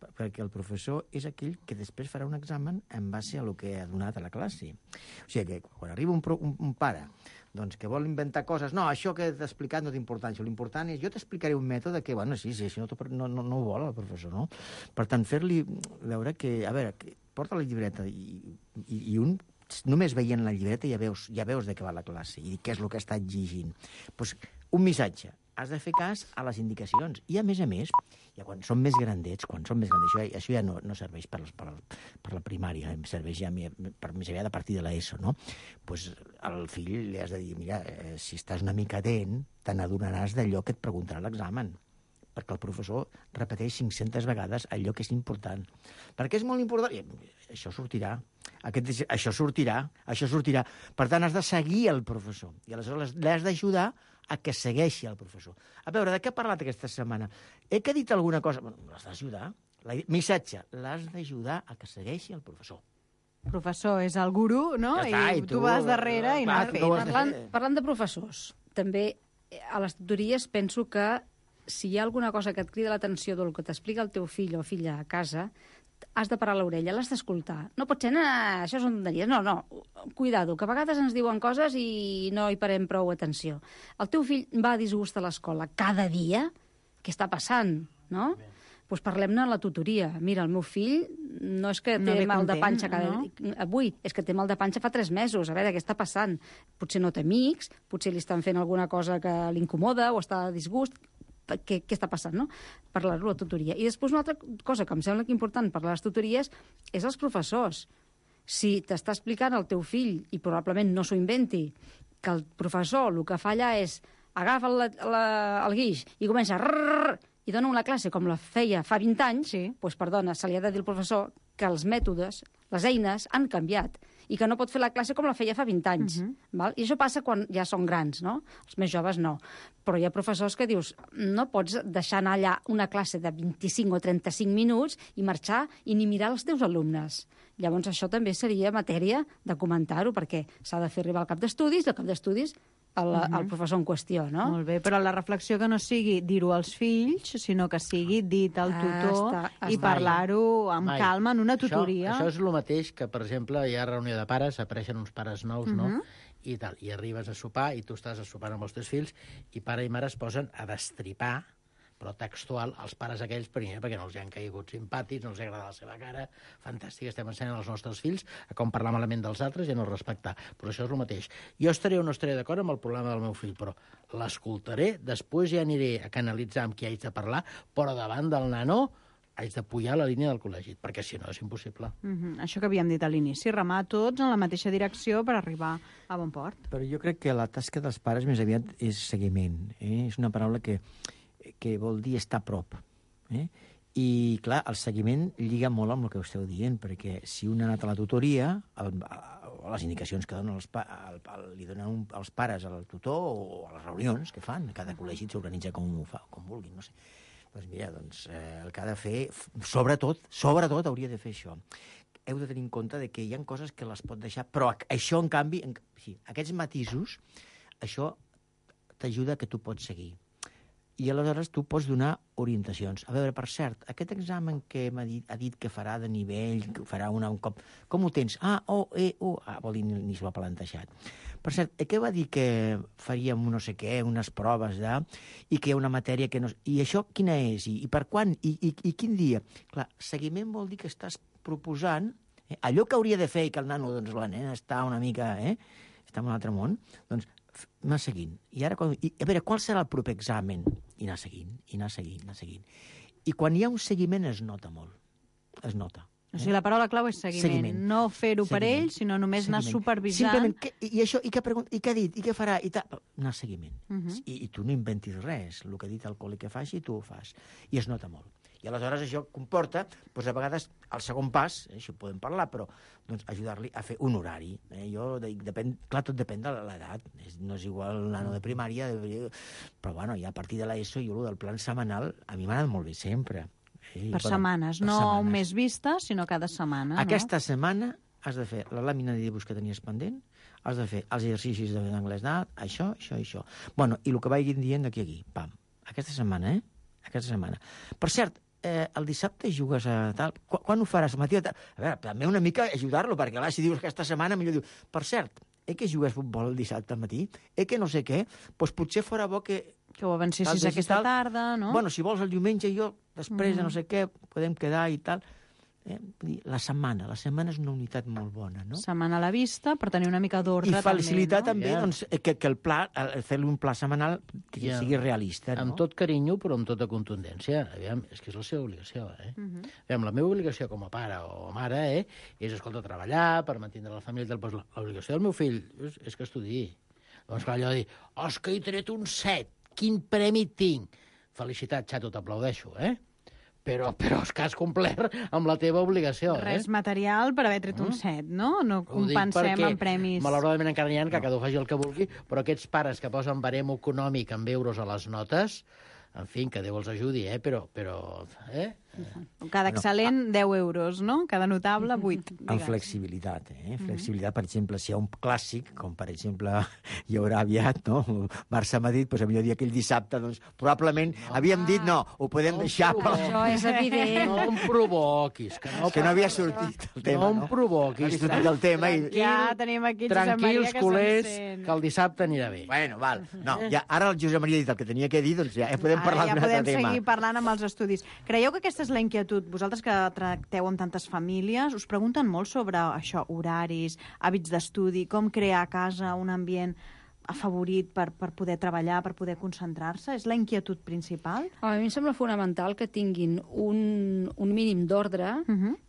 perquè el professor és aquell que després farà un examen en base a el que ha donat a la classe. O sigui que quan arriba un pare doncs, que vol inventar coses, no, això que t'he explicat no té importància, l'important és jo t'explicaré un mètode que, bueno, sí, això no ho vol el professor, no? Per tant, fer-li veure que, a veure, que porta la llibreta i un només veient la llibreta ja veus de què va la classe i què és el que està exigint. Doncs un missatge. Has de fer cas a les indicacions. I, a més, ja quan són més grandets, això ja no serveix per la primària, serveix ja per més aviat a partir de l'ESO, no? Doncs al fill li has de dir, mira, si estàs una mica atent, te n'adonaràs d'allò que et preguntarà l'examen, perquè el professor repeteix 500 vegades allò que és important. Perquè és molt important. I això sortirà. Això sortirà. Per tant, has de seguir el professor. I aleshores l'has d'ajudar a que segueixi el professor. A veure, de què ha parlat aquesta setmana? He dit alguna cosa? Bueno, l'has d'ajudar. Missatge, l'has d'ajudar a que segueixi el professor. Professor és el gurú, no? Ja està, i tu vas darrere i no has fet. Parlant de professors, també a les tutories penso que si hi ha alguna cosa que et crida l'atenció del que t'explica el teu fill o filla a casa, has de parar l'orella, l'has d'escoltar. No pot ser, això són tonteries. No, cuidado, que a vegades ens diuen coses i no hi parem prou atenció. El teu fill va a disgust a l'escola cada dia? Què està passant, no? Doncs parlem-ne a la tutoria. Mira, el meu fill no és que té mal de panxa avui, és que té mal de panxa fa 3 mesos. A veure, què està passant? Potser no té amics, potser li estan fent alguna cosa que l'incomoda o està a disgust. Què està passant, no? Parlar-ho a la tutoria. I després una altra cosa que em sembla que important parlar a les tutories és els professors. Si t'està explicant el teu fill, i probablement no s'ho inventi, que el professor el que fa allà és agafa el guix i comença i dona una classe com la feia fa 20 anys, doncs, perdona, se li ha de dir al professor que els mètodes, les eines, han canviat i que no pot fer la classe com la feia fa 20 anys. Val? I això passa quan ja són grans, no? Els més joves no. Però hi ha professors que dius, no pots deixar anar allà una classe de 25 o 35 minuts i marxar i ni mirar els teus alumnes. Llavors això també seria matèria de comentar-ho, perquè s'ha de fer arribar al cap d'estudis, i al cap d'estudis al professor en qüestió, no? Molt bé, però la reflexió que no sigui dir-ho als fills, sinó que sigui dit al tutor i parlar-ho amb calma en una tutoria. Això és el mateix que, per exemple, hi ha reunió de pares, apareixen uns pares nous, no? I arribes a sopar i tu estàs sopant amb els teus fills i pare i mare es posen a destripar, però textual, els pares aquells, primer, perquè no els han caigut simpàtics, no els agrada la seva cara, fantàstic, estem ensenyant als nostres fills a com parlar malament dels altres i a no respectar. Però això és el mateix. Jo estaré o no estaré d'acord amb el problema del meu fill, però l'escoltaré, després ja aniré a canalitzar amb qui haig de parlar, però davant del nano haig de pujar la línia del col·legi, perquè si no és impossible. Això que havíem dit a l'inici, remar tots en la mateixa direcció per arribar a bon port. Però jo crec que la tasca dels pares més aviat és seguiment. És una paraula que vol dir estar a prop. I, clar, el seguiment lliga molt amb el que esteu dient, perquè si un ha anat a la tutoria, les indicacions que donen li donen els pares al tutor o a les reunions que fan, cada col·legi s'organitza com vulguin, no sé. Doncs mira, el que ha de fer, sobretot hauria de fer això. Heu de tenir en compte que hi ha coses que les pot deixar, però això, en canvi, aquests matisos, això t'ajuda que tu pots seguir. I aleshores tu pots donar orientacions. A veure, per cert, aquest examen que ha dit que farà de nivell, que farà un cop, com ho tens? Vol dir, ni s'ho ha plantejat. Per cert, què va dir que faríem no sé què, unes proves, i que hi ha una matèria que no... I això quina és? I per quan? I quin dia? Clar, seguiment vol dir que estàs proposant allò que hauria de fer i que el nano, la nena, està una mica... està en un altre món, doncs anar seguint. I ara, a veure, qual serà el proper examen? I anar seguint. I quan hi ha un seguiment es nota molt. Es nota. O sigui, la paraula clau és seguiment. No fer-ho per ell, sinó només anar supervisant. Simplement, i això, i què ha dit, i què farà, i tal. Anar seguiment. I tu no inventis res. El que ha dit el col·le que faci, tu ho fas. I es nota molt. I aleshores això comporta, doncs a vegades, el segon pas, això ho podem parlar, però doncs, ajudar-li a fer un horari. Clar, tot depèn de l'edat. No és igual un nano de primària, però bueno, ja a partir de l'ESO, jo del plan setmanal, a mi m'ha anat molt bé sempre. Per setmanes, no un mes vista, sinó cada setmana. Aquesta setmana has de fer la làmina de dibuix que tenies pendent, has de fer els exercicis d'anglès d'alt, això. Bueno, i el que vagin dient d'aquí a aquí, pam. Aquesta setmana, Aquesta setmana. Per cert, el dissabte jugues a tal... Quan ho faràs? Al matí? A veure, també una mica ajudar-lo, perquè si dius que aquesta setmana millor diu... Per cert, que jugues futbol el dissabte al matí? Que no sé què? Doncs potser fora bo que ho avancessis aquesta tarda, no? Bueno, si vols el diumenge jo, després de no sé què, podem quedar i tal... La setmana és una unitat molt bona, no? Setmana a la vista, per tenir una mica d'ordre també, I facilitar també que el pla, fer-li un pla setmanal que sigui realista, no? Amb tot carinyo, però amb tota contundència. Aviam, és que és la seva obligació, Aviam, la meva obligació com a pare o mare, és, escolta, treballar per mantenir la família. L'obligació del meu fill és que estudiï. Doncs clar, allò de dir, és que he tret un 7, quin premi tinc? Felicitat, xato, t'aplaudeixo, Però és que has complert amb la teva obligació. Res material per haver tret un 7, no? No compensem en premis. Malauradament encara n'hi ha que cada un faci el que vulgui, però aquests pares que posen barem econòmic en euros a les notes, en fi, que Déu els ajudi, però... Cada excel·lent, 10 euros, no? Cada notable, 8. Amb flexibilitat, Flexibilitat, per exemple, si hi ha un clàssic, com per exemple hi haurà aviat, no? Barça-Madrid, doncs a millor dia aquell dissabte, doncs probablement havíem dit no, ho podem deixar, però... Això és evident. No em provoquis. Que no havia sortit el tema, no? No em provoquis. No havia sortit el tema. Ja tenim aquí Josep Maria que culers, que el dissabte anirà bé. Bueno, val. No, ja, ara el Josep Maria ha dit el que tenia que dir, doncs ja podem parlar d'un altre tema. Ja podem seguir parlant amb els estudis. Creieu que aquesta és la inquietud? Vosaltres que tracteu amb tantes famílies, us pregunten molt sobre això, horaris, hàbits d'estudi, com crear a casa un ambient afavorit per poder treballar, per poder concentrar-se? És la inquietud principal? A mi em sembla fonamental que tinguin un mínim d'ordre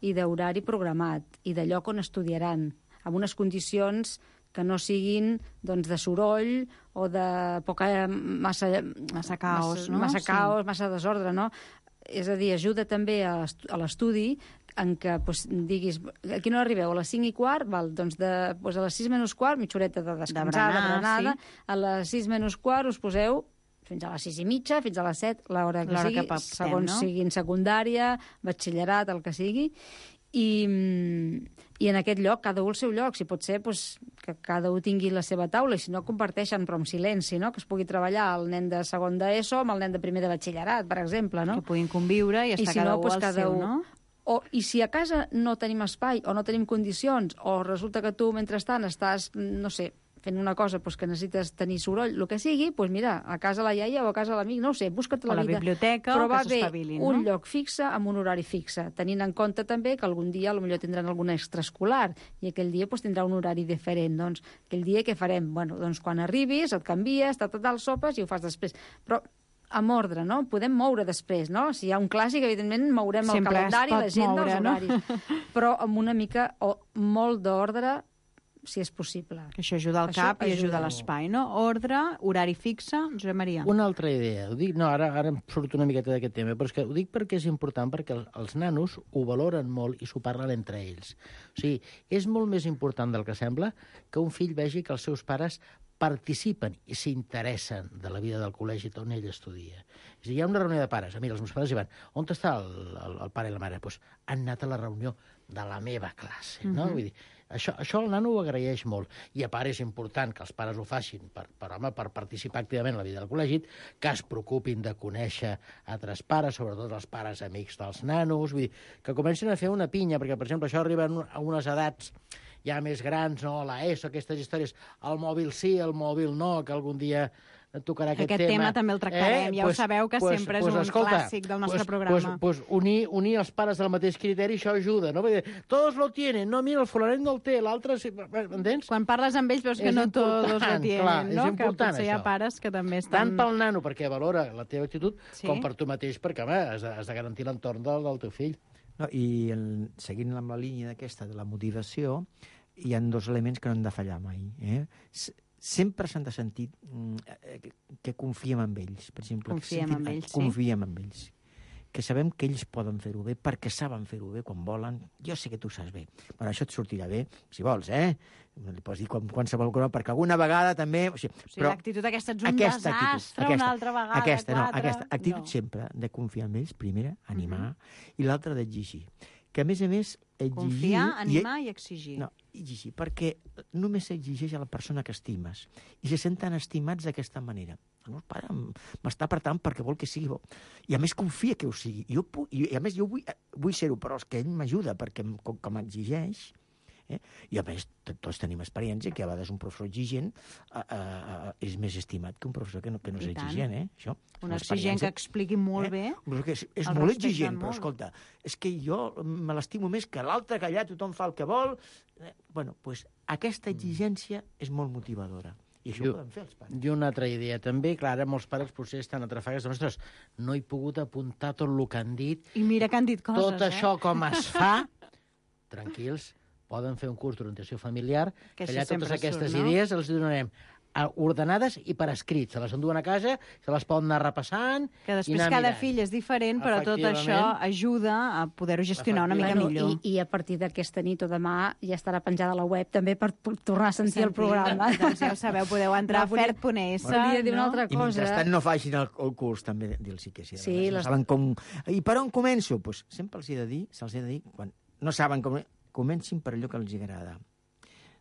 i d'horari programat i de lloc on estudiaran, amb unes condicions que no siguin doncs, de soroll o de massa caos, no? Massa caos, massa desordre, no? És a dir, ajuda també a l'estudi en què diguis, a quina hora arribeu? A les 5:15? Val, doncs a les 6:15, mitja horeta de descansar, de berenada. Sí. A les 6:15 us poseu fins a les 6:30, fins a les 7, l'hora que sigui, segons sigui en secundària, batxillerat, el que sigui. I en aquest lloc, cada un al seu lloc, si pot ser que cada un tingui la seva taula, i si no comparteixen, però en silenci, no? Que es pugui treballar el nen de segon d'ESO amb el nen de primer de batxillerat, per exemple, no? Que puguin conviure i estar cada un al seu, no? I si a casa no tenim espai o no tenim condicions, o resulta que tu, mentrestant, estàs, no sé, fent una cosa que necessites tenir soroll, el que sigui, doncs mira, a casa la iaia o a casa l'amic, no ho sé, busca't la vida. A la biblioteca, però que s'estavilin, no? Un lloc fixe amb un horari fixe, tenint en compte també que algun dia potser tindran alguna extraescolar i aquell dia tindrà un horari diferent. Doncs aquell dia què farem? Bueno, doncs quan arribis et canvies, tal, sopes i ho fas després. Però amb ordre, no? Podem moure després, no? Si hi ha un clàssic, evidentment, mourem el calendari, l'agenda, els horaris. Però amb una mica o molt d'ordre, si és possible. Que això ajuda al cap i ajuda a l'espai, no? Ordre, horari fixe, Josep Maria. Una altra idea. Ho dic, no, ara em surt una miqueta d'aquest tema, però és que ho dic perquè és important, perquè els nanos ho valoren molt i s'ho parlen entre ells. O sigui, és molt més important del que sembla que un fill vegi que els seus pares participen i s'interessen de la vida del col·legi on ell estudia. És a dir, hi ha una reunió de pares. Mira, els meus pares hi van. On està el pare i la mare? Doncs han anat a la reunió de la meva classe, no? Vull dir, això el nano ho agraeix molt. I a part és important que els pares ho facin per participar activament en la vida del col·legi, que es preocupin de conèixer altres pares, sobretot els pares amics dels nanos, vull dir, que comencin a fer una pinya, perquè, per exemple, això arriba a unes edats ja més grans, no? La ESO, aquestes històries, el mòbil sí, el mòbil no, que algun dia tocarà aquest tema. Aquest tema també el tractarem, ja ho sabeu que sempre és un clàssic del nostre programa. Unir els pares del mateix criteri, això ajuda, no? Perquè tots lo tienen, no, mira, el fulanet no el té, l'altre... M'entens? Quan parles amb ells veus que no tots lo tienen, no? Que potser hi ha pares que també estan... Tant pel nano, perquè valora la teva actitud, com per tu mateix, perquè, home, has de garantir l'entorn del teu fill. No, i seguint amb la línia d'aquesta de la motivació, hi ha 2 elements que no han de fallar mai. Sempre s'han de sentir que confiem en ells. Per exemple, confiem en ells. Que sabem que ells poden fer-ho bé perquè saben fer-ho bé quan volen. Jo sé que tu saps bé. Bueno, això et sortirà bé, si vols, Li pots dir qualsevol cosa, perquè alguna vegada també... O sigui, l'actitud aquesta ets un desastre, una altra vegada, Aquesta actitud sempre de confiar en ells, primera, animar, i l'altra d'exigir. Que, a més, exigir... Confiar, animar i exigir. No, exigir, perquè només s'exigeix a la persona que estimes. I se senten estimats d'aquesta manera. El meu pare m'està apretant perquè vol que sigui bo. I a més confia que ho sigui. I a més jo vull ser-ho, però és que ell m'ajuda perquè com m'exigeix... I a més, tots tenim experiència que a vegades un professor exigent és més estimat que un professor que no és exigent. Això. Un exigent que expliqui molt bé. És molt exigent, però escolta, és que jo me l'estimo més que l'altre, que allà tothom fa el que vol. Bueno, doncs aquesta exigència és molt motivadora. I això ho poden fer els pares. I una altra idea també, clar, molts pares potser estan atrafegats. Ostres, no he pogut apuntar tot el que han dit. I mira que han dit coses, Tot això com es fa, tranquils, poden fer un curs d'orientació familiar, que allà totes aquestes idees els donarem ordenades i per escrit. Se les enduen a casa, se les poden anar repassant... Que després cada fill és diferent, però tot això ajuda a poder-ho gestionar una mica millor. I a partir d'aquesta nit o demà ja estarà penjada a la web també per tornar a sentir el programa. Doncs ja ho sabeu, podeu entrar a fert.es. Volia dir una altra cosa. I mentrestant no facin el curs, també, dir-los que sí. Saben com... I per on començo? Doncs sempre se'ls he de dir, quan no saben com... Comencin per allò que els agrada.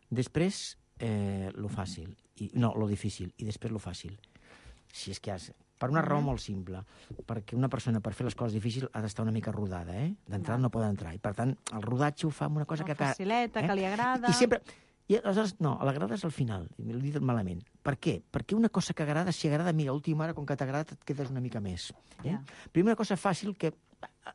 Després, lo fàcil. Lo difícil. I després lo fàcil. Si és que per una raó molt simple. Perquè una persona, per fer les coses difícils, ha d'estar una mica rodada, D'entrada no pot entrar. I, per tant, el rodatge ho fa amb una cosa que... Facileta, que li agrada... I sempre... I aleshores, no, l'agrada és al final. L'he dit malament. Per què? Perquè una cosa que agrada, si agrada, mira, a última hora, com que t'agrada, et quedes una mica més. Primera cosa fàcil que...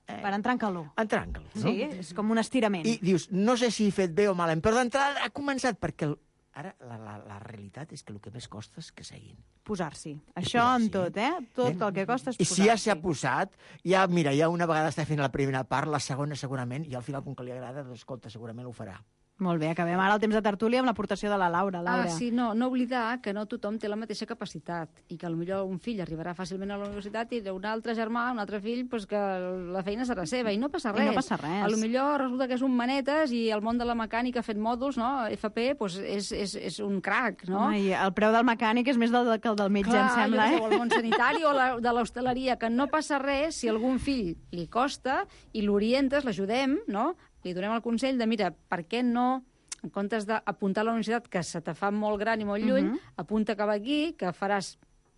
Per entrar en calor. Entrar en calor, no? Sí, és com un estirament. I dius, no sé si he fet bé o malament, però d'entrada ha començat, perquè ara la realitat és que el que més costa és que seguin. Posar-s'hi. Això en tot, Tot el que costa és posar-s'hi. I si ja s'ha posat, ja una vegada està fent la primera part, la segona segurament, i al final, com que li agrada, doncs, escolta, segurament ho farà. Molt bé, acabem ara el temps de tertúlia amb l'aportació de la Laura. Sí, no oblidar que no tothom té la mateixa capacitat i que potser un fill arribarà fàcilment a la universitat i un altre germà, un altre fill, que la feina serà seva i no passa res. No passa res. Potser resulta que és un manetes i el món de la mecànica ha fet mòduls, no? FP, és un crac, no? I el preu del mecànic és més que el del metge, em sembla, o el món sanitari o de l'hostaleria, que no passa res si algun fill li costa i l'orientes, l'ajudem, no? Li donem el consell de, mira, per què no, en comptes d'apuntar a la universitat, que se te fa molt gran i molt lluny, apunta cap aquí, que faràs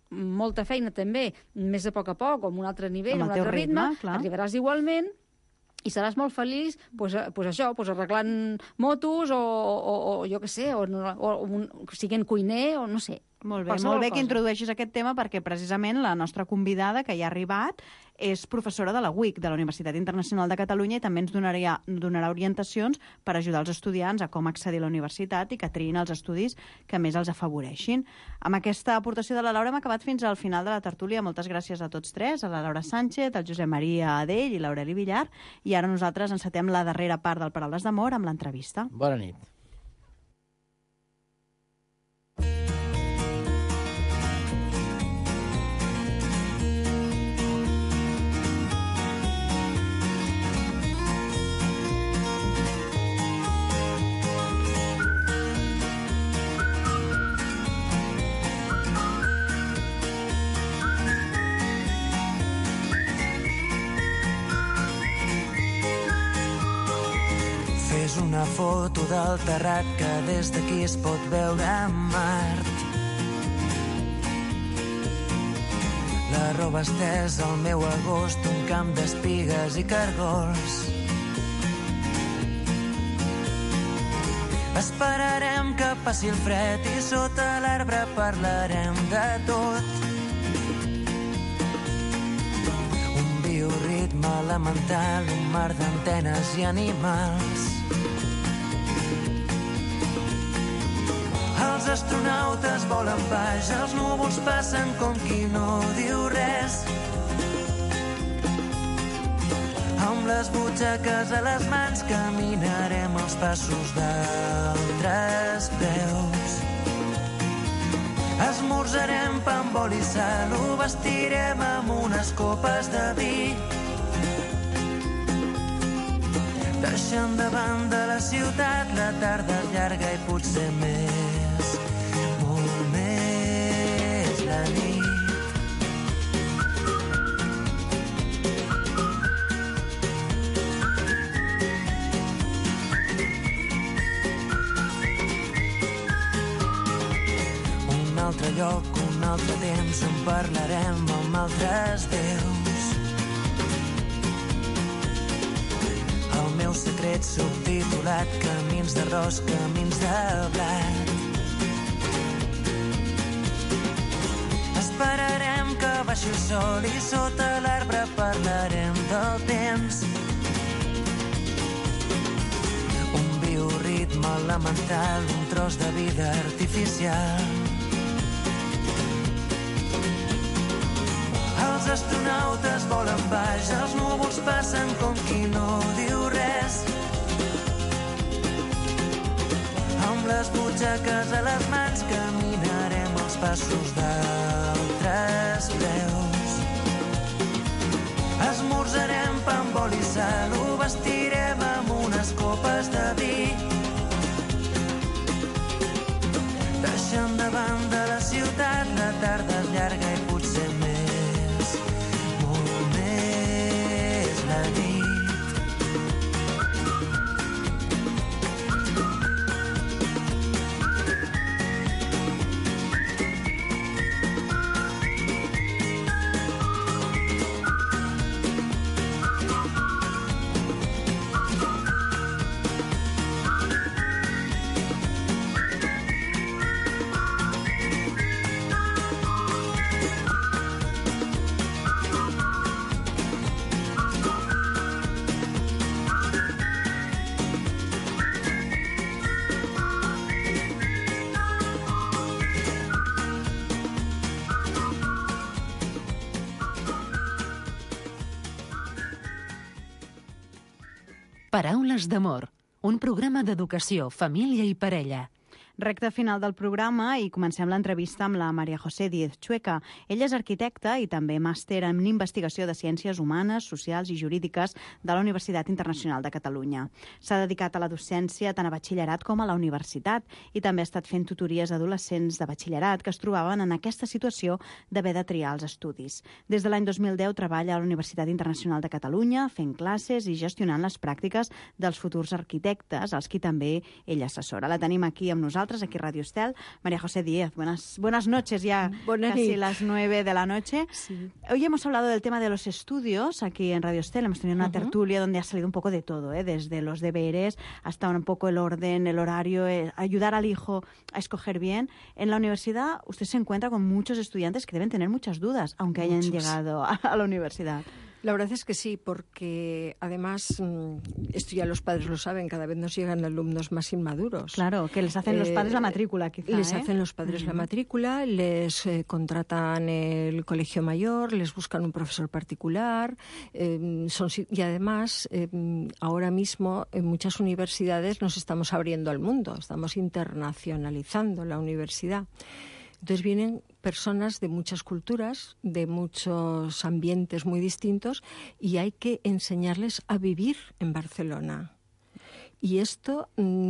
molta feina també, més a poc, o amb un altre nivell, un altre ritme, arribaràs igualment i seràs molt feliç, arreglant motos o jo què sé, o siguent cuiner, o no sé. Molt bé que introdueixis aquest tema perquè precisament la nostra convidada que ja ha arribat és professora de la UIC, de la Universitat Internacional de Catalunya, i també ens donarà orientacions per ajudar els estudiants a com accedir a la universitat i que triïn els estudis que més els afavoreixin. Amb aquesta aportació de la Laura hem acabat fins al final de la tertúlia. Moltes gràcies a tots tres, a la Laura Sánchez, al Josep Maria Adell i l'Aureli Villar, i ara nosaltres encetem la darrera part del Paraules d'Amor amb l'entrevista. Bona nit. Una foto del terrat que des d'aquí es pot veure Mart. La roba estesa al meu agost, un camp d'espigues i cargols. Esperarem que passi el fred i sota l'arbre parlarem de tot. Un bioritme elemental, un mar d'antenes i animals. Els astronautes volen baix, els núvols passen com qui no diu res. Amb les butxaques a les mans caminarem els passos d'altres peus. Esmorzarem pa amb oli i sal, ho vestirem amb unes copes de vi. Deixant de banda la ciutat, la tarda és llarga i potser més, molt més la nit. Un altre lloc, un altre temps, on parlarem amb altres déus. El meu secret subtitulat, camins d'arròs, camins de blat. Esperarem que baixi el sol i sota l'arbre parlarem del temps. Un bioritme elemental, un tros de vida artificial. Els astronautes volen baix, els núvols passen com qui no diu res. Amb les butxaques a les mans caminarem els passos d'altres peus. Esmorzarem pa amb oli i sal, ho vestirem amb unes copes de vi. Deixant de banda la ciutat, la tarda és llarga i potser més, molt més la nit. Paraules d'amor, un programa d'educació, família i parella. Recte final del programa i comencem l'entrevista amb la María José Díez Chueca. Ella és arquitecta i també màster en investigació de ciències humanes, socials i jurídiques de la Universitat Internacional de Catalunya. S'ha dedicat a la docència tant a batxillerat com a la universitat i també ha estat fent tutories a adolescents de batxillerat que es trobaven en aquesta situació d'haver de triar els estudis. Des de l'any 2010 treballa a la Universitat Internacional de Catalunya fent classes i gestionant les pràctiques dels futurs arquitectes, als qui també ella assessora. La tenim aquí amb nosaltres, aquí Radio Estel. María José Díez, buenas noches, ya casi las 9 de la noche. Sí. Hoy hemos hablado del tema de los estudios aquí en Radio Estel. Hemos tenido una tertulia donde ha salido un poco de todo, desde los deberes hasta un poco el orden, el horario, ayudar al hijo a escoger bien. En la universidad usted se encuentra con muchos estudiantes que deben tener muchas dudas, aunque hayan llegado a la universidad. La verdad es que sí, porque además, esto ya los padres lo saben, cada vez nos llegan alumnos más inmaduros. Claro, que les hacen los padres la matrícula, quizá. Les hacen los padres la matrícula, les contratan el colegio mayor, les buscan un profesor particular, y además, ahora mismo, en muchas universidades nos estamos abriendo al mundo, estamos internacionalizando la universidad. Entonces vienen personas de muchas culturas, de muchos ambientes muy distintos, y hay que enseñarles a vivir en Barcelona. Y esto,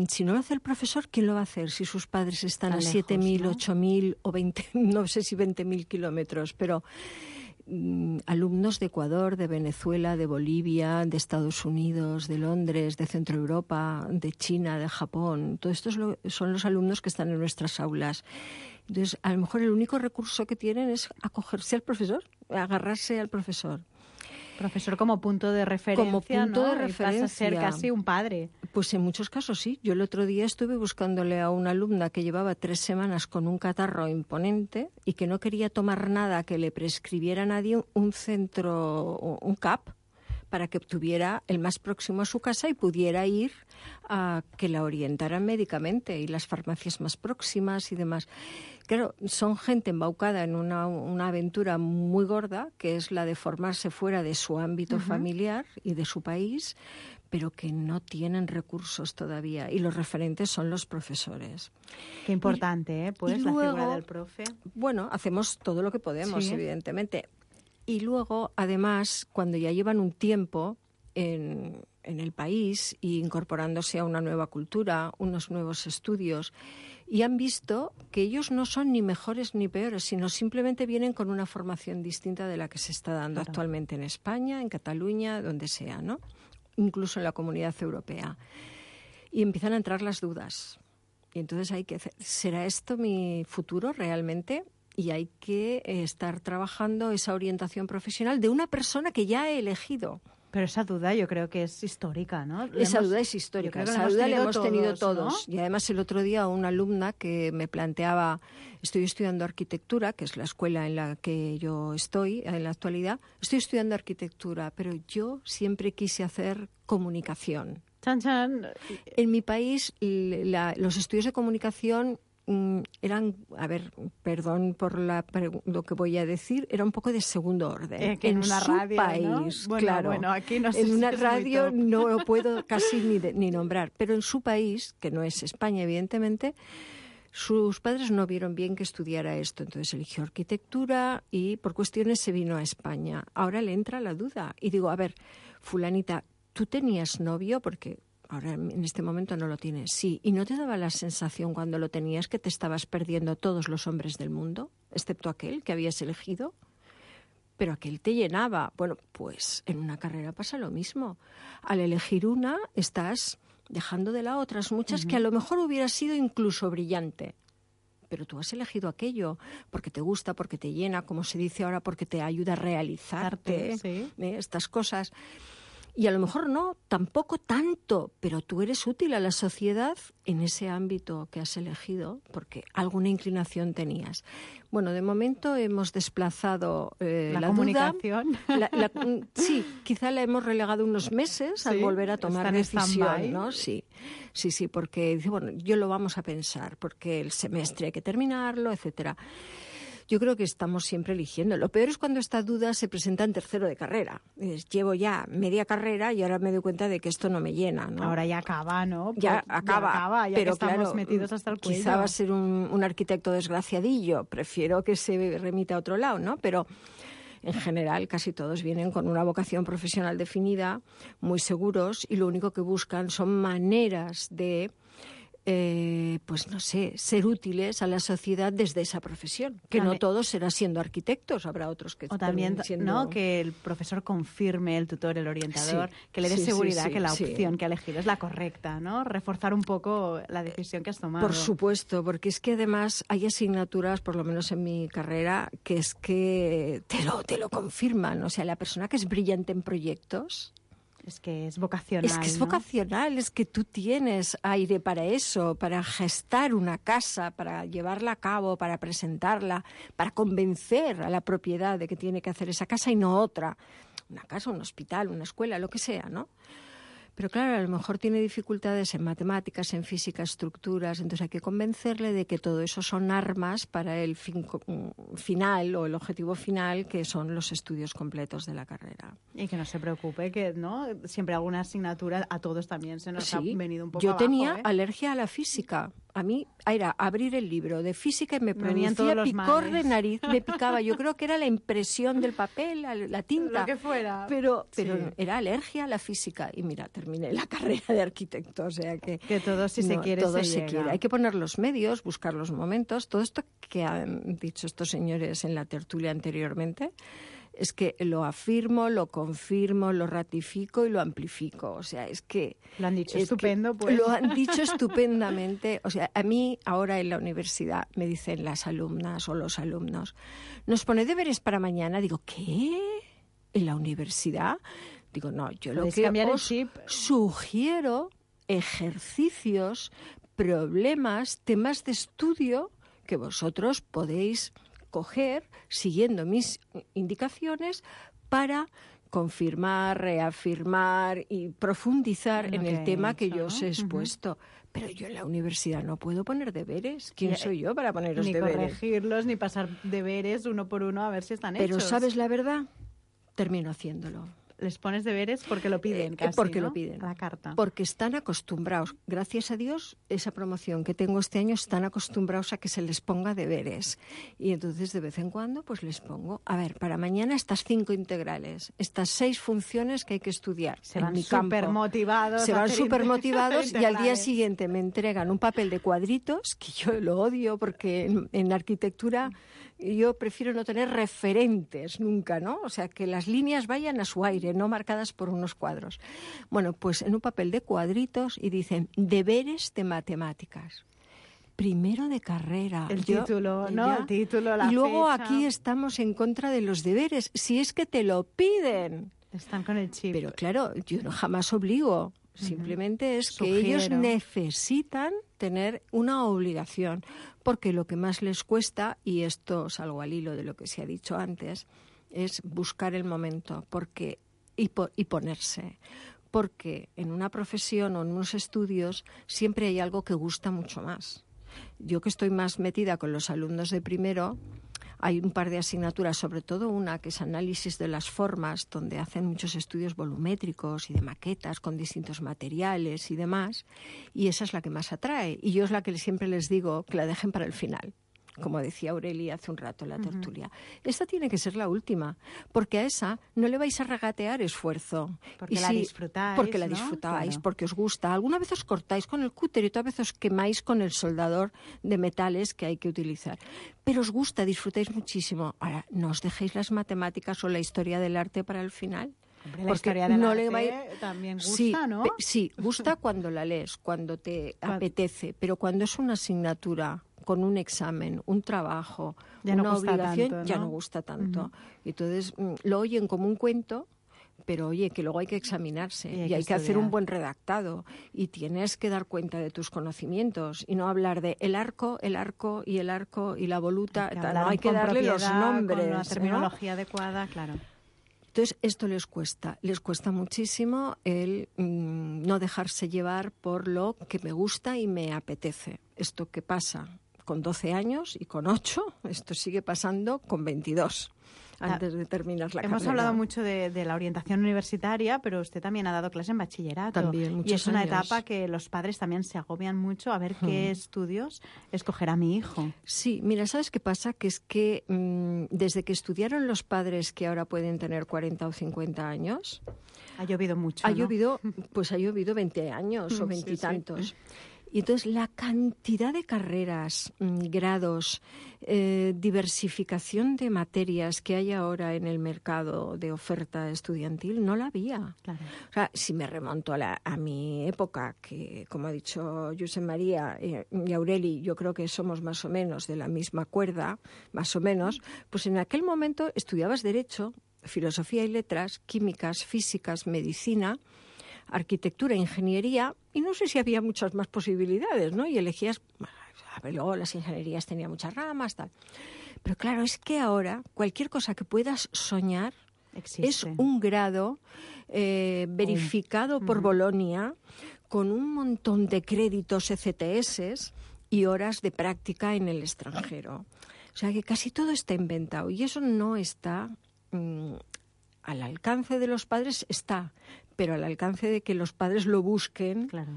si no lo hace el profesor, ¿quién lo va a hacer? Si sus padres están a 7.000, ¿no? 8.000 o 20, no sé si 20.000 kilómetros, pero alumnos de Ecuador, de Venezuela, de Bolivia, de Estados Unidos, de Londres, de Centro Europa, de China, de Japón. Todos estos son los alumnos que están en nuestras aulas. Entonces, a lo mejor el único recurso que tienen es acogerse al profesor, agarrarse al profesor. Profesor como punto de referencia, como punto, ¿no? de referencia. Y pasa a ser casi un padre. Pues en muchos casos sí. Yo el otro día estuve buscándole a una alumna que llevaba 3 semanas con un catarro imponente y que no quería tomar nada que le prescribiera nadie un CAP, para que tuviera el más próximo a su casa y pudiera ir a que la orientaran médicamente, y las farmacias más próximas y demás. Claro, son gente embaucada en una aventura muy gorda, que es la de formarse fuera de su ámbito familiar y de su país, pero que no tienen recursos todavía, y los referentes son los profesores. Qué importante, pues, la figura del profe. Bueno, hacemos todo lo que podemos, evidentemente. Y luego, además, cuando ya llevan un tiempo en el país y incorporándose a una nueva cultura, unos nuevos estudios, y han visto que ellos no son ni mejores ni peores, sino simplemente vienen con una formación distinta de la que se está dando actualmente en España, en Cataluña, donde sea, ¿no? Incluso en la Comunidad Europea. Y empiezan a entrar las dudas. Y entonces hay que hacer, ¿será esto mi futuro realmente? Y hay que estar trabajando esa orientación profesional de una persona que ya ha elegido. Pero esa duda yo creo que es histórica, ¿no? Esa duda es histórica, esa duda la hemos tenido todos. ¿No? Y además el otro día una alumna que me planteaba, estoy estudiando arquitectura, que es la escuela en la que yo estoy en la actualidad, estoy estudiando arquitectura, pero yo siempre quise hacer comunicación. Chan, chan. En mi país los estudios de comunicación eran, a ver, perdón por lo que voy a decir, era un poco de segundo orden. En una su radio, país, ¿no? claro. Bueno, aquí no sé en si una es radio no lo puedo casi ni nombrar, pero en su país, que no es España, evidentemente, sus padres no vieron bien que estudiara esto, entonces eligió arquitectura y por cuestiones se vino a España. Ahora le entra la duda y digo, a ver, fulanita, ¿tú tenías novio? Porque ahora en este momento no lo tienes. Sí, ¿y no te daba la sensación cuando lo tenías que te estabas perdiendo todos los hombres del mundo, excepto aquel que habías elegido? Pero aquel te llenaba. Bueno, pues en una carrera pasa lo mismo. Al elegir una, estás dejando de lado otras muchas que a lo mejor hubiera sido incluso brillante. Pero tú has elegido aquello porque te gusta, porque te llena, como se dice ahora, porque te ayuda a realizarte, estas cosas. Y a lo mejor no, tampoco tanto, pero tú eres útil a la sociedad en ese ámbito que has elegido, porque alguna inclinación tenías. Bueno, de momento hemos desplazado la comunicación. Duda. Sí, quizá la hemos relegado unos meses al volver a tomar decisión, ¿no? Sí, porque dice, bueno, yo lo vamos a pensar, porque el semestre hay que terminarlo, etcétera. Yo creo que estamos siempre eligiendo. Lo peor es cuando esta duda se presenta en tercero de carrera. Llevo ya media carrera y ahora me doy cuenta de que esto no me llena, ¿no? Ahora ya acaba, ¿no? Ya acaba, ya pero que estamos claro, metidos hasta el cuello. Quizá va a ser un arquitecto desgraciadillo. Prefiero que se remita a otro lado, ¿no? Pero en general casi todos vienen con una vocación profesional definida, muy seguros, y lo único que buscan son maneras de pues no sé, ser útiles a la sociedad desde esa profesión, que también, no todos serán siendo arquitectos, habrá otros que también siendo... ¿no? Que el profesor confirme, el tutor, el orientador, que le dé seguridad que la opción que ha elegido es la correcta, ¿no? Reforzar un poco la decisión que has tomado. Por supuesto, porque es que además hay asignaturas, por lo menos en mi carrera, que es que te lo confirman, o sea, la persona que es brillante en proyectos... Es que es vocacional. Es que es vocacional, es que tú tienes aire para eso, para gestar una casa, para llevarla a cabo, para presentarla, para convencer a la propiedad de que tiene que hacer esa casa y no otra. Una casa, un hospital, una escuela, lo que sea, ¿no? Pero claro, a lo mejor tiene dificultades en matemáticas, en física, estructuras, entonces hay que convencerle de que todo eso son armas para el fin final o el objetivo final, que son los estudios completos de la carrera. Y que no se preocupe, que no siempre alguna asignatura a todos también se nos ha venido un poco Yo abajo, tenía alergia a la física. A mí era abrir el libro de física y me producía picor de nariz, me picaba. Yo creo que era la impresión del papel, la tinta. Lo que fuera. Pero era alergia a la física. Y mira, terminé la carrera de arquitecto. O sea que todo si se quiere todo se quiere. Hay que poner los medios, buscar los momentos. Todo esto que han dicho estos señores en la tertulia anteriormente, es que lo afirmo, lo confirmo, lo ratifico y lo amplifico. O sea, es que... Lo han dicho estupendo, pues. Lo han dicho estupendamente. O sea, a mí ahora en la universidad me dicen las alumnas o los alumnos, nos pone deberes para mañana. Digo, ¿qué? ¿En la universidad? Digo, no, yo lo que os sugiero ejercicios, problemas, temas de estudio que vosotros podéis coger siguiendo mis indicaciones para confirmar, reafirmar y profundizar en el tema que yo os he expuesto. Pero yo en la universidad no puedo poner deberes. ¿Quién soy yo para poneros deberes? Ni corregirlos, ni pasar deberes uno por uno a ver si están hechos. Pero ¿sabes la verdad? Termino haciéndolo. Les pones deberes porque lo piden casi, porque ¿no? lo piden. A la carta. Porque están acostumbrados. Gracias a Dios, esa promoción que tengo este año están acostumbrados a que se les ponga deberes. Y entonces, de vez en cuando, pues les pongo, a ver, para mañana estas 5 integrales, estas 6 funciones que hay que estudiar. Se van súper motivados. Se van súper motivados y al día siguiente me entregan un papel de cuadritos, que yo lo odio porque en arquitectura yo prefiero no tener referentes nunca, ¿no? O sea, que las líneas vayan a su aire, no marcadas por unos cuadros. Bueno, pues en un papel de cuadritos y dicen deberes de matemáticas. Primero de carrera. El título, ¿no? El título, la fecha. Y luego aquí estamos en contra de los deberes, si es que te lo piden. Están con el chip. Pero claro, yo jamás obligo. Simplemente es que ellos necesitan tener una obligación, porque lo que más les cuesta, y esto salgo al hilo de lo que se ha dicho antes, es buscar el momento y ponerse. Porque en una profesión o en unos estudios siempre hay algo que gusta mucho más. Yo que estoy más metida con los alumnos de primero, hay un par de asignaturas, sobre todo una que es análisis de las formas, donde hacen muchos estudios volumétricos y de maquetas con distintos materiales y demás, y esa es la que más atrae. Y yo es la que siempre les digo que la dejen para el final, como decía Aurelia hace un rato en la tertulia. Esta tiene que ser la última, porque a esa no le vais a regatear esfuerzo. Porque la disfrutáis, porque la ¿no? disfrutáis, Claro. porque os gusta. Alguna vez os cortáis con el cúter y otra vez os quemáis con el soldador de metales que hay que utilizar. Pero os gusta, disfrutáis muchísimo. Ahora, no os dejéis las matemáticas o la historia del arte para el final. Hombre, la historia del arte también gusta, ¿no? Sí, gusta cuando la lees, cuando te apetece, pero cuando es una asignatura con un examen, un trabajo, ya no una obligación, tanto, ¿no? ya no gusta tanto. Entonces, lo oyen como un cuento, pero oye, que luego hay que examinarse y hay que hacer un buen redactado y tienes que dar cuenta de tus conocimientos y no hablar de el arco y la voluta, no hay que darle los nombres. Con la terminología adecuada, claro. Entonces, esto les cuesta muchísimo el no dejarse llevar por lo que me gusta y me apetece. Esto que pasa con 12 años y con 8, esto sigue pasando con 22. Antes de terminar la carrera. Hemos hablado mucho de la orientación universitaria, pero usted también ha dado clase en bachillerato. También, muchos y es una años. etapa que los padres también se agobian mucho a ver qué estudios escogerá mi hijo. Sí, mira, ¿sabes qué pasa? Que es que desde que estudiaron los padres que ahora pueden tener 40 o 50 años... Ha llovido mucho, Ha ¿no? llovido 20 años o 20 y tantos. Sí. Y entonces la cantidad de carreras, grados, diversificación de materias que hay ahora en el mercado de oferta estudiantil, no la había. Claro. O sea, si me remonto a mi época, que como ha dicho Josep María y Aureli, yo creo que somos más o menos de la misma cuerda, más o menos, pues en aquel momento estudiabas Derecho, Filosofía y Letras, Químicas, Físicas, Medicina, Arquitectura, Ingeniería, y no sé si había muchas más posibilidades, ¿no? Y elegías, luego las ingenierías tenían muchas ramas, tal. Pero claro, es que ahora cualquier cosa que puedas soñar existe. Es un grado verificado por Bolonia, con un montón de créditos ECTS y horas de práctica en el extranjero. O sea que casi todo está inventado y eso no está al alcance de los padres, pero al alcance de que los padres lo busquen. Claro.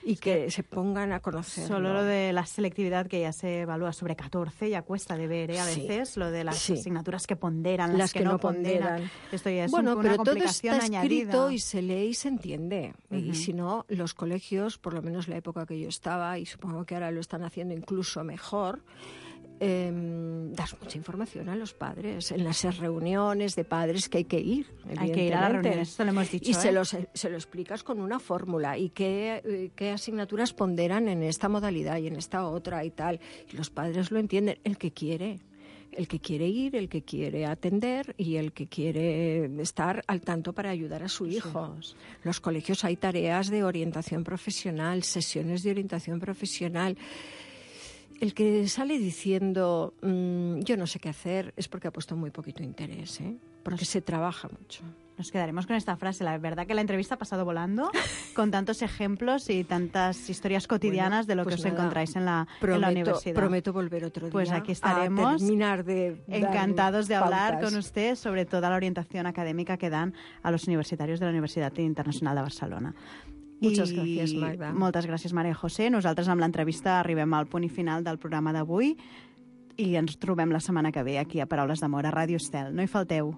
Y que se pongan a conocer. Solo lo de la selectividad, que ya se evalúa sobre 14, ya cuesta de ver, a veces. Sí. Lo de las asignaturas que ponderan, las que no ponderan. Esto ya es una pero complicación todo está escrito añadida. Y se lee y se entiende. Y si no, los colegios, por lo menos la época que yo estaba, y supongo que ahora lo están haciendo incluso mejor, das mucha información a los padres en las reuniones de padres que hay que ir. Hay que ir a las reuniones, eso lo hemos dicho. Y se lo explicas con una fórmula y qué asignaturas ponderan en esta modalidad y en esta otra y tal. Y los padres lo entienden. El que quiere ir, el que quiere atender y el que quiere estar al tanto para ayudar a su hijo. Los colegios hay tareas de orientación profesional, sesiones de orientación profesional. El que sale diciendo yo no sé qué hacer es porque ha puesto muy poquito interés, porque se trabaja mucho. Nos quedaremos con esta frase. La verdad que la entrevista ha pasado volando, con tantos ejemplos y tantas historias cotidianas de lo que os encontráis en la universidad. Prometo volver otro día. Pues aquí estaremos, encantados de hablar con usted sobre toda la orientación académica que dan a los universitaris de la Universitat Internacional de Barcelona. Moltes gràcies, Magda. Moltes gràcies, Maria José. Nosaltres amb l'entrevista arribem al punt i final del programa d'avui i ens trobem la setmana que ve aquí a Paraules d'Amor, a Ràdio Estel. No hi falteu.